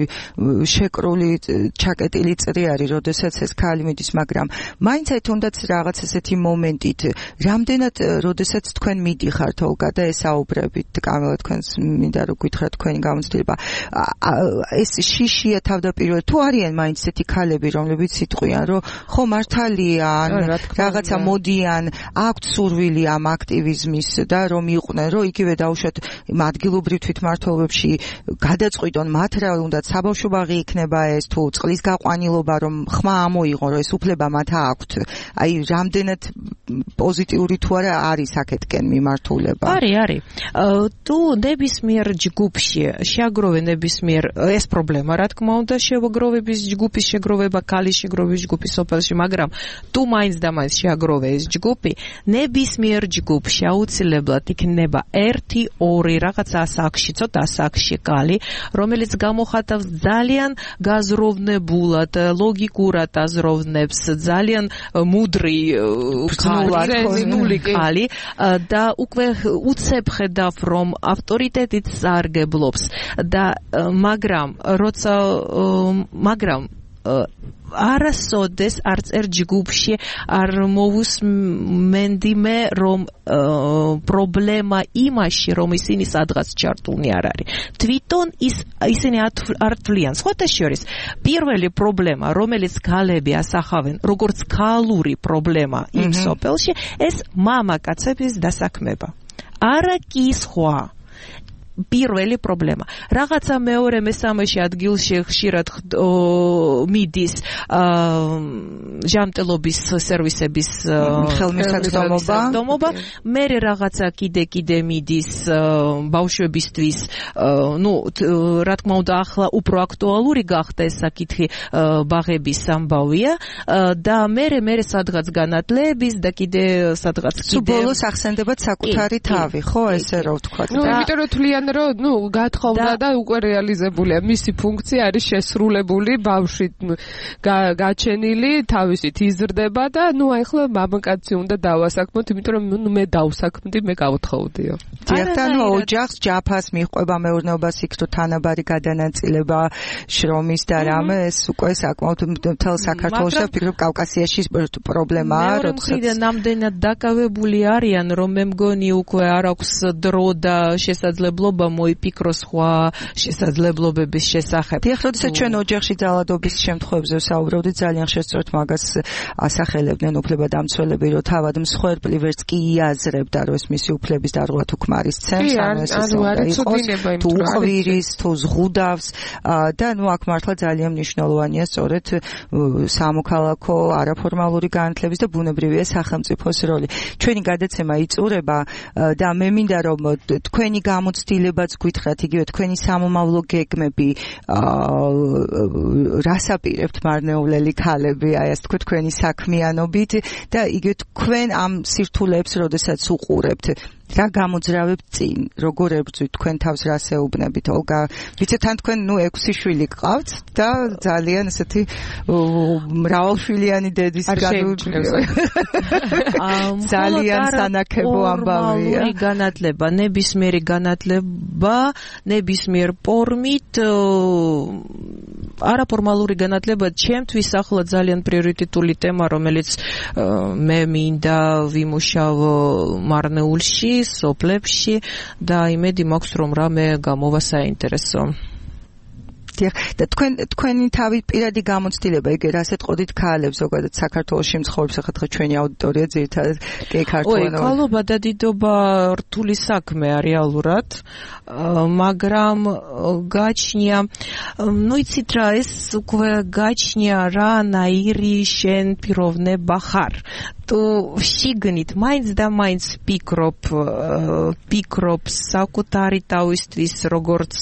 S3: შეკრული ჩაკეტილი წრი არის როდესაც ეს ქალი მიდის მაგრამ მაინც აი თუნდაც რაღაც ესეთი მომენტით რამდენად როდესაც თქვენ მიდიხართ ოლგა და ესაუბრებით კამელა თქვენს მინდა რომ გითხრათ თქვენი გამოცდილება ეს შიშია თავდაპირველად თუ არიან მაინც ესეთი ქალები რომლებიც იტყვიან რომ ხო მართალია რაღაცა მოდიან აქვთ სურვილი ამ აქტივიზმის და რომ იყვნენ რომ იგივე დაუშვათ ადგილობრივ თვითმმართველობებში გადაწყვიტონ მათ რა უნდა საბავშვო ბაღი იქნება ეს თუ წყლის გაყვანილობა რომ ხმა ამოიღონ რომ ეს უფლება მათ აქვთ აი რამდენად პოზიტიური თუ არა არის აქეთკენ მიმართულება
S7: არის არის თუ ნებისმიერ ჯგუფში შეაგროვე ნებისმიერ ეს პრობლემა რა თქმა უნდა შეგროვების ჯგუფის შეგროვება ქალის შეგროვების ჯგუფის სოფელში მაგრამ თუ მაინც და მაინც შეაგროვე ეს ჯგუფი ნებისმიერ ჯგუფში აუცილებლად იქნება ერთი ორი რაღაცა ასაკში ცოტა ასაკში კალი რომელიც გამოხატავს ძალიან გაზროვნებულად ლოგიკურად აზროვნებს ძალიან მუდრი კალი და უკვე უცებ ხედავ რომ ავტორიტეტით სარგებლობს და მაგრამ როცა მაგრამ არასოდეს არც ერთ ჯგუფში არ მოვუსმენდიმე რომ პრობლემა იმაში რომ ისინი სადღაც ჩართულნი არ არის თვითონ ის ისინი არ თვლიან სხვათა შორის პირველი პრობლემა რომელიც ქალები ასახავენ როგორც ქალური პრობლემა იმ სოფელში ეს მამაკაცების დასაქმება არა კი სხვა პირველი პრობლემა. რაღაცა მეორე მესამეში ადგილში ხშირად მიდის ჟამტელობის სერვისების ხელმისაწვდომობა. მე რაღაცა კიდე კიდე მიდის ბავშვებისთვის, ну, რა თქმა უნდა, ახლა უფრო აქტუალური გახდა ეს საკითხი ბაღების ამბავია და მე მე სადღაც განათლების და კიდე სადღაც კიდე
S3: სუბოლოს ახსენდებათ საკუთარი თავი, ხო, ესე რა ვთქვა.
S6: ну, იმიტომ რომ თვლიან რომ ну გათხოვდა და უკვე რეალიზებულია მისი ფუნქცია არის შესრულებული ბავშვი გაჩენილი თავისით იზრდება და ну ახლა მამაკაცი უნდა დავასაქმოთ იმიტომ რომ ну მე დავსაქმდი მე გავთხოვდიო
S3: დიახ ოჯახს ჯაფას მიყვება მეურნეობას იქ თუ თანაბარი გადანაწილება შრომის და რამე ეს უკვე საკმაოდ მთელ საქართველოში ვფიქრობ კავკასიაში პრობლემაა
S7: როდესაც ნამდვილად დაკავებული არიან რომ მე მგონი უკვე არ აქვს დრო და შესაძლებლობა მოიფიქროს სხვა შესაძლებლობების შესახებ.
S3: დიახ, როდესაც ჩვენ ოჯახში ძალადობის შემთხვევებზე ვსაუბრობდით, ძალიან შესწორთ მაგას ასახელებდნენ უფლებადამცველები, რომ თავად მსხვერპლი ვერც კი იაზრებდა, რომ ეს მისი უფლების დარღვევა თუ ქმარის ცემს, ანუ ეს უნდა თუ უყვირის, თუ ზღუდავს და ნუ აქ მართლა ძალიან მნიშვნელოვანია სწორედ სამოქალაქო არაფორმალური განათლების და ბუნებრივია სახელმწიფოს როლი. ჩვენი გადაცემა იწურება და მე მინდა რომ თქვენი გამოცდილებაც გითხრათ, იგივე თქვენი სამომავლო გეგმები რას აპირებთ მარნეულელი ქალები, აი ასე თქვა თქვენი საქმიანობით და იგივე თქვენ ამ სირთულეებს როდესაც უყურებთ რა გამოძრავებთ წინ, როგორ ებრძვით თქვენ თავს რას ეუბნებით? ოლგა, ვიცით თან თქვენ ნუ ექვსი შვილი გყავთ და ძალიან ესეთი მრავალშვილიანი დედის ძალიან სანაკებო ამბავია.
S7: განათლება, ნებისმიერი განათლება, ნებისმიერ ფორმით არაფორმალური განათლება ჩემთვის ახლა ძალიან პრიორიტეტული თემა, რომელიც მე მინდა ვიმუშავო მარნეულში სოფლებში და იმედი მაქვს რომ რამე გამოვა საინტერესო.
S3: და თქვენ თქვენი თავი პირადი გამოცდილება იგივე რას ეტყოდით ქალებს ზოგადად საქართველოში მცხოვრებს ახლა დღე ჩვენი აუდიტორია ძირითადად კი ქართველი.
S7: ой, ქალობა და დიდობა რთული საქმეა რეალურად, მაგრამ გაჩნია, ну იცით რა, ეს უკვე გაჩნია რა ნაირი შენ პიროვნება ხარ. თუ შიგნით მაინც და მაინც ფიქრობ ფიქრობ საკუთარი თავისთვის როგორც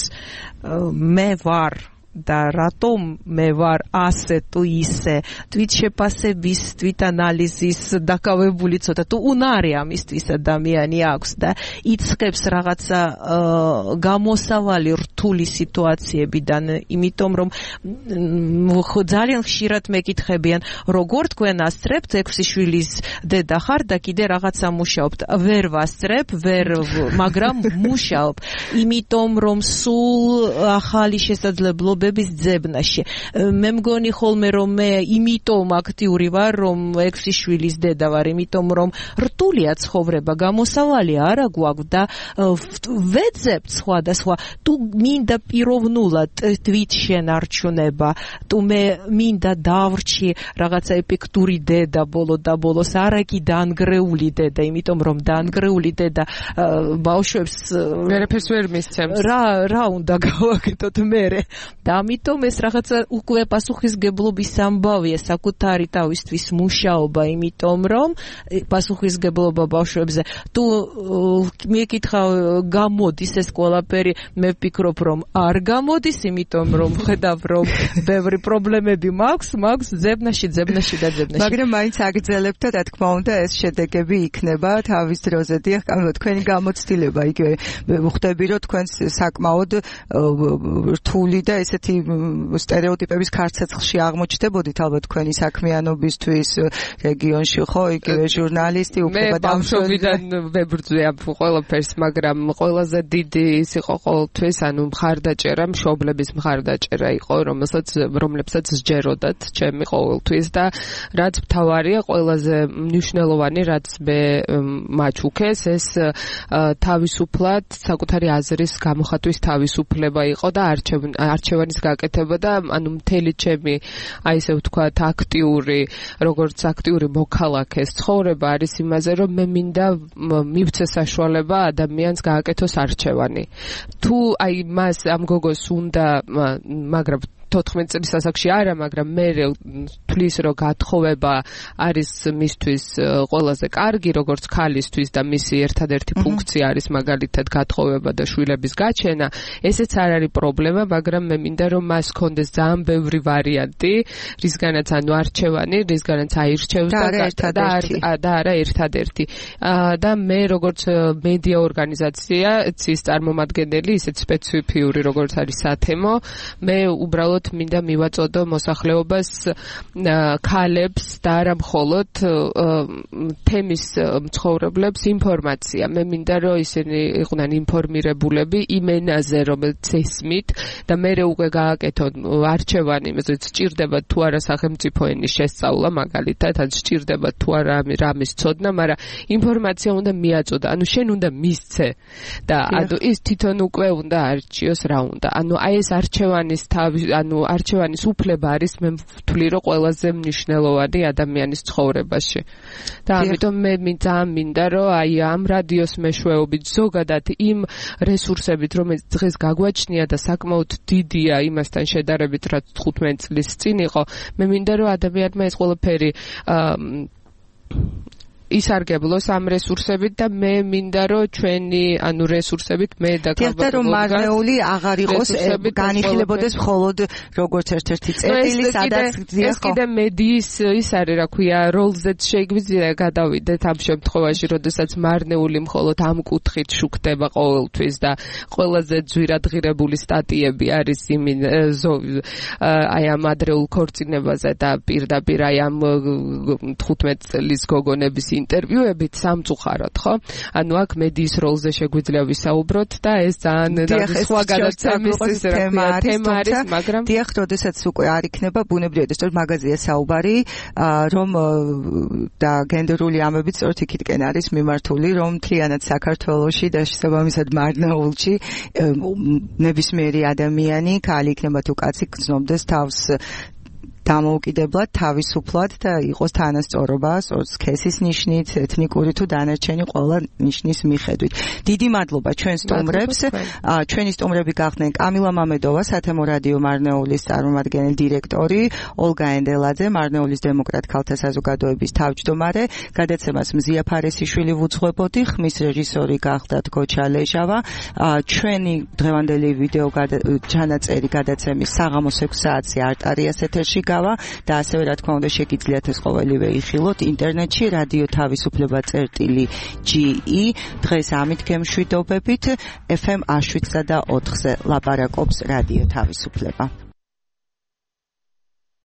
S7: მე ვარ და რატომ მე ვარ ასე თუ ისე თვით შეფასების თვით ანალიზის დაკავებული ცოტა თუ უნარი ამისთვის ადამიანი აქვს და იწყებს რაღაცა გამოსავალი რთული სიტუაციებიდან იმიტომ რომ ძალიან ხშირად მეკითხებიან როგორ თქვენ ასწრებთ ექვსი შვილის დედა ხარ და კიდე რაღაცა მუშაობთ ვერ ვასწრებ ვერ მაგრამ მუშაობ იმიტომ რომ სულ ახალი შესაძლებლობები ბების ძებნაში. მე მგონი ხოლმე რომ მე იმიტომ აქტიური ვარ, რომ ექვსი შვილის დედა ვარ, იმიტომ რომ რთულია ცხოვრება, გამოსავალი არა გვაქვს და ვეძებ სხვადასხვა. თუ მინდა პიროვნულად თვით შენარჩუნება, თუ მე მინდა დავრჩი რაღაცა ეფექტური დედა ბოლო და ბოლოს არა კი დაანგრეული დედა, იმიტომ რომ დაანგრეული დედა ბავშვებს
S6: ვერაფერს ვერ მისცემს.
S7: რა რა უნდა გავაკეთოთ მერე? და ამიტომ ეს რაღაცა უკვე პასუხისგებლობის ამბავია საკუთარი თავისთვის მუშაობა, იმიტომ რომ პასუხისგებლობა ბავშვებზე თუ მეკითხავ გამოდის ეს ყველაფერი, მე ვფიქრობ რომ არ გამოდის, იმიტომ რომ ხედავ რომ ბევრი პრობლემები მაქვს, მაქვს ძებნაში, ძებნაში და ძებნაში.
S3: მაგრამ მაინც აგრძელებთ და თქმა უნდა ეს შედეგები იქნება თავის დროზე. დიახ, თქვენი გამოცდილება იგივე ხვდები რომ თქვენ საკმაოდ რთული და ესეთი სტერეოტიპების ქარცეცხლში აღმოჩნდებოდით ალბათ თქვენი საქმიანობისთვის რეგიონში, ხო, იგივე ჟურნალისტი უფლება
S6: დამშვენიდან ვებრძვი ამ ყველაფერს, მაგრამ ყველაზე დიდი ის იყო ყოველთვის, ანუ მხარდაჭერა, მშობლების მხარდაჭერა იყო, რომელსაც რომლებსაც სჯეროდათ ჩემი ყოველთვის და რაც მთავარია, ყველაზე მნიშვნელოვანი, რაც მე მაჩუქეს, ეს თავისუფლად საკუთარი აზრის გამოხატვის თავისუფლება იყო და არჩევანის გაკეთება და ანუ მთელი ჩემი აი ესე ვთქვათ აქტიური როგორც აქტიური მოქალაქეს ცხოვრება არის იმაზე რომ მე მინდა მივცე საშუალება ადამიანს გააკეთოს არჩევანი თუ აი მას ამ გოგოს უნდა მაგრამ თოთხმეტ წლის ასაკში არა, მაგრამ მე თulis რომ გათხოვება არის მისთვის ყველაზე კარგი, როგორც ქალისთვის და მისი ერთადერთი ფუნქცია არის მაგალითად გათხოვება და შვილების გაჩენა. ესეც არ არის პრობლემა, მაგრამ მე მინდა რომ მას კონდეს ძალიან ბევრი ვარიანტი, რისგანაც ანუ არჩევანი, რისგანაც აირჩევს და და არა ერთადერთი. და მე როგორც მედია ორგანიზაცია, ცის წარმომადგენელი, ისეთ სპეციფიური როგორც არის სათემო, მე უბრალოდ მინდა მივაწოდო მოსახლეობას ქალებს და არა მხოლოდ თემის მცხოვრებლებს ინფორმაცია. მე მინდა რომ ისინი იყვნენ ინფორმირებულები იმ ენაზე, რომელიც ესმით და მე უკვე გააკეთონ არჩევანი, იმაზე სჭირდება თუ არა სახელმწიფო ენის შესწავლა მაგალითად, ან სჭირდება თუ არა რამის ცოდნა, მაგრამ ინფორმაცია უნდა მიაწოდო. ანუ შენ უნდა მისცე და ანუ ის თვითონ უკვე უნდა არჩიოს რა უნდა. ანუ აი ეს არჩევანის თავი ანუ არჩევანის უფლება არის მე ვთვლი რომ ყველაზე მნიშვნელოვანი ადამიანის ცხოვრებაში. და ამიტომ მე ძალიან მინდა რომ აი ამ რადიოს მეშვეობით ზოგადად იმ რესურსებით რომელიც დღეს გაგვაჩნია და საკმაოდ დიდია იმასთან შედარებით რაც თხუთმეტ წლის წინ იყო, მე მინდა რომ ადამიანმა ეს ყველაფერი ისარგებლოს ამ რესურსებით და მე მინდა რომ ჩვენი ანუ რესურსებით მე და
S3: და რომ მარნეული აღარ იყოს განიხილებოდეს მხოლოდ როგორც ერთ-ერთი წერტილი სადაც
S6: ეს კიდე მედიის ის არის რა ქვია როლზეც შეგვიძლია გადავიდეთ ამ შემთხვევაში როდესაც მარნეული მხოლოდ ამ კუთხით შუქდება ყოველთვის და ყველაზე ძვირადღირებული სტატიები არის იმინ აი ამ ადრეულ ქორწინებაზე და პირდაპირ აი ამ თხუთმეტ წლის გოგონების ინტერვიუებით სამწუხაროდ, ხო? ანუ აქ მედიის როლზე შეგვიძლია ვისაუბროთ და ეს ძალიან სხვა გადაცემის თემა არის, მაგრამ
S3: დიახ, როდესაც უკვე არ იქნება ბუნებრივად, ეს მაგაზია საუბარი, რომ და გენდერული ამბები სწორედ იქითკენ არის მიმართული, რომ მთლიანად საქართველოში და შესაბამისად მარნეულში ნებისმიერი ადამიანი, ქალი იქნება თუ კაცი, გრძნობდეს თავს დამოუკიდებლად, თავისუფლად და იყოს თანასწორობა, სქესის ნიშნით, ეთნიკური თუ დანარჩენი ყველა ნიშნის მიხედვით. დიდი მადლობა ჩვენ სტუმრებს. ჩვენი სტუმრები გახდნენ კამილა მამედოვა, სათემო რადიო მარნეულის წარმომადგენელი დირექტორი, ოლგა ენდელაძე, მარნეულის დემოკრატ ქალთა საზოგადოების თავმჯდომარე, გადაცემას მზია ფარესიშვილი ვუძღვებოდი, ხმის რეჟისორი გახდათ გოჩა ლეჟავა. ჩვენი დღევანდელი ვიდეო ჩანაწერი გადაცემის საღამოს ექვსი საათზე არტარიას ეთერში გავა და ასევე რა თქმა უნდა შეგიძლიათ ეს ყოველივე იხილოთ ინტერნეტში რადიო თავისუფლება წერტილი ჯი ი. დღეს ამით გემშვიდობებით. ეფ ემ შვიდსა და ოთხზე ლაპარაკობს რადიო თავისუფლება.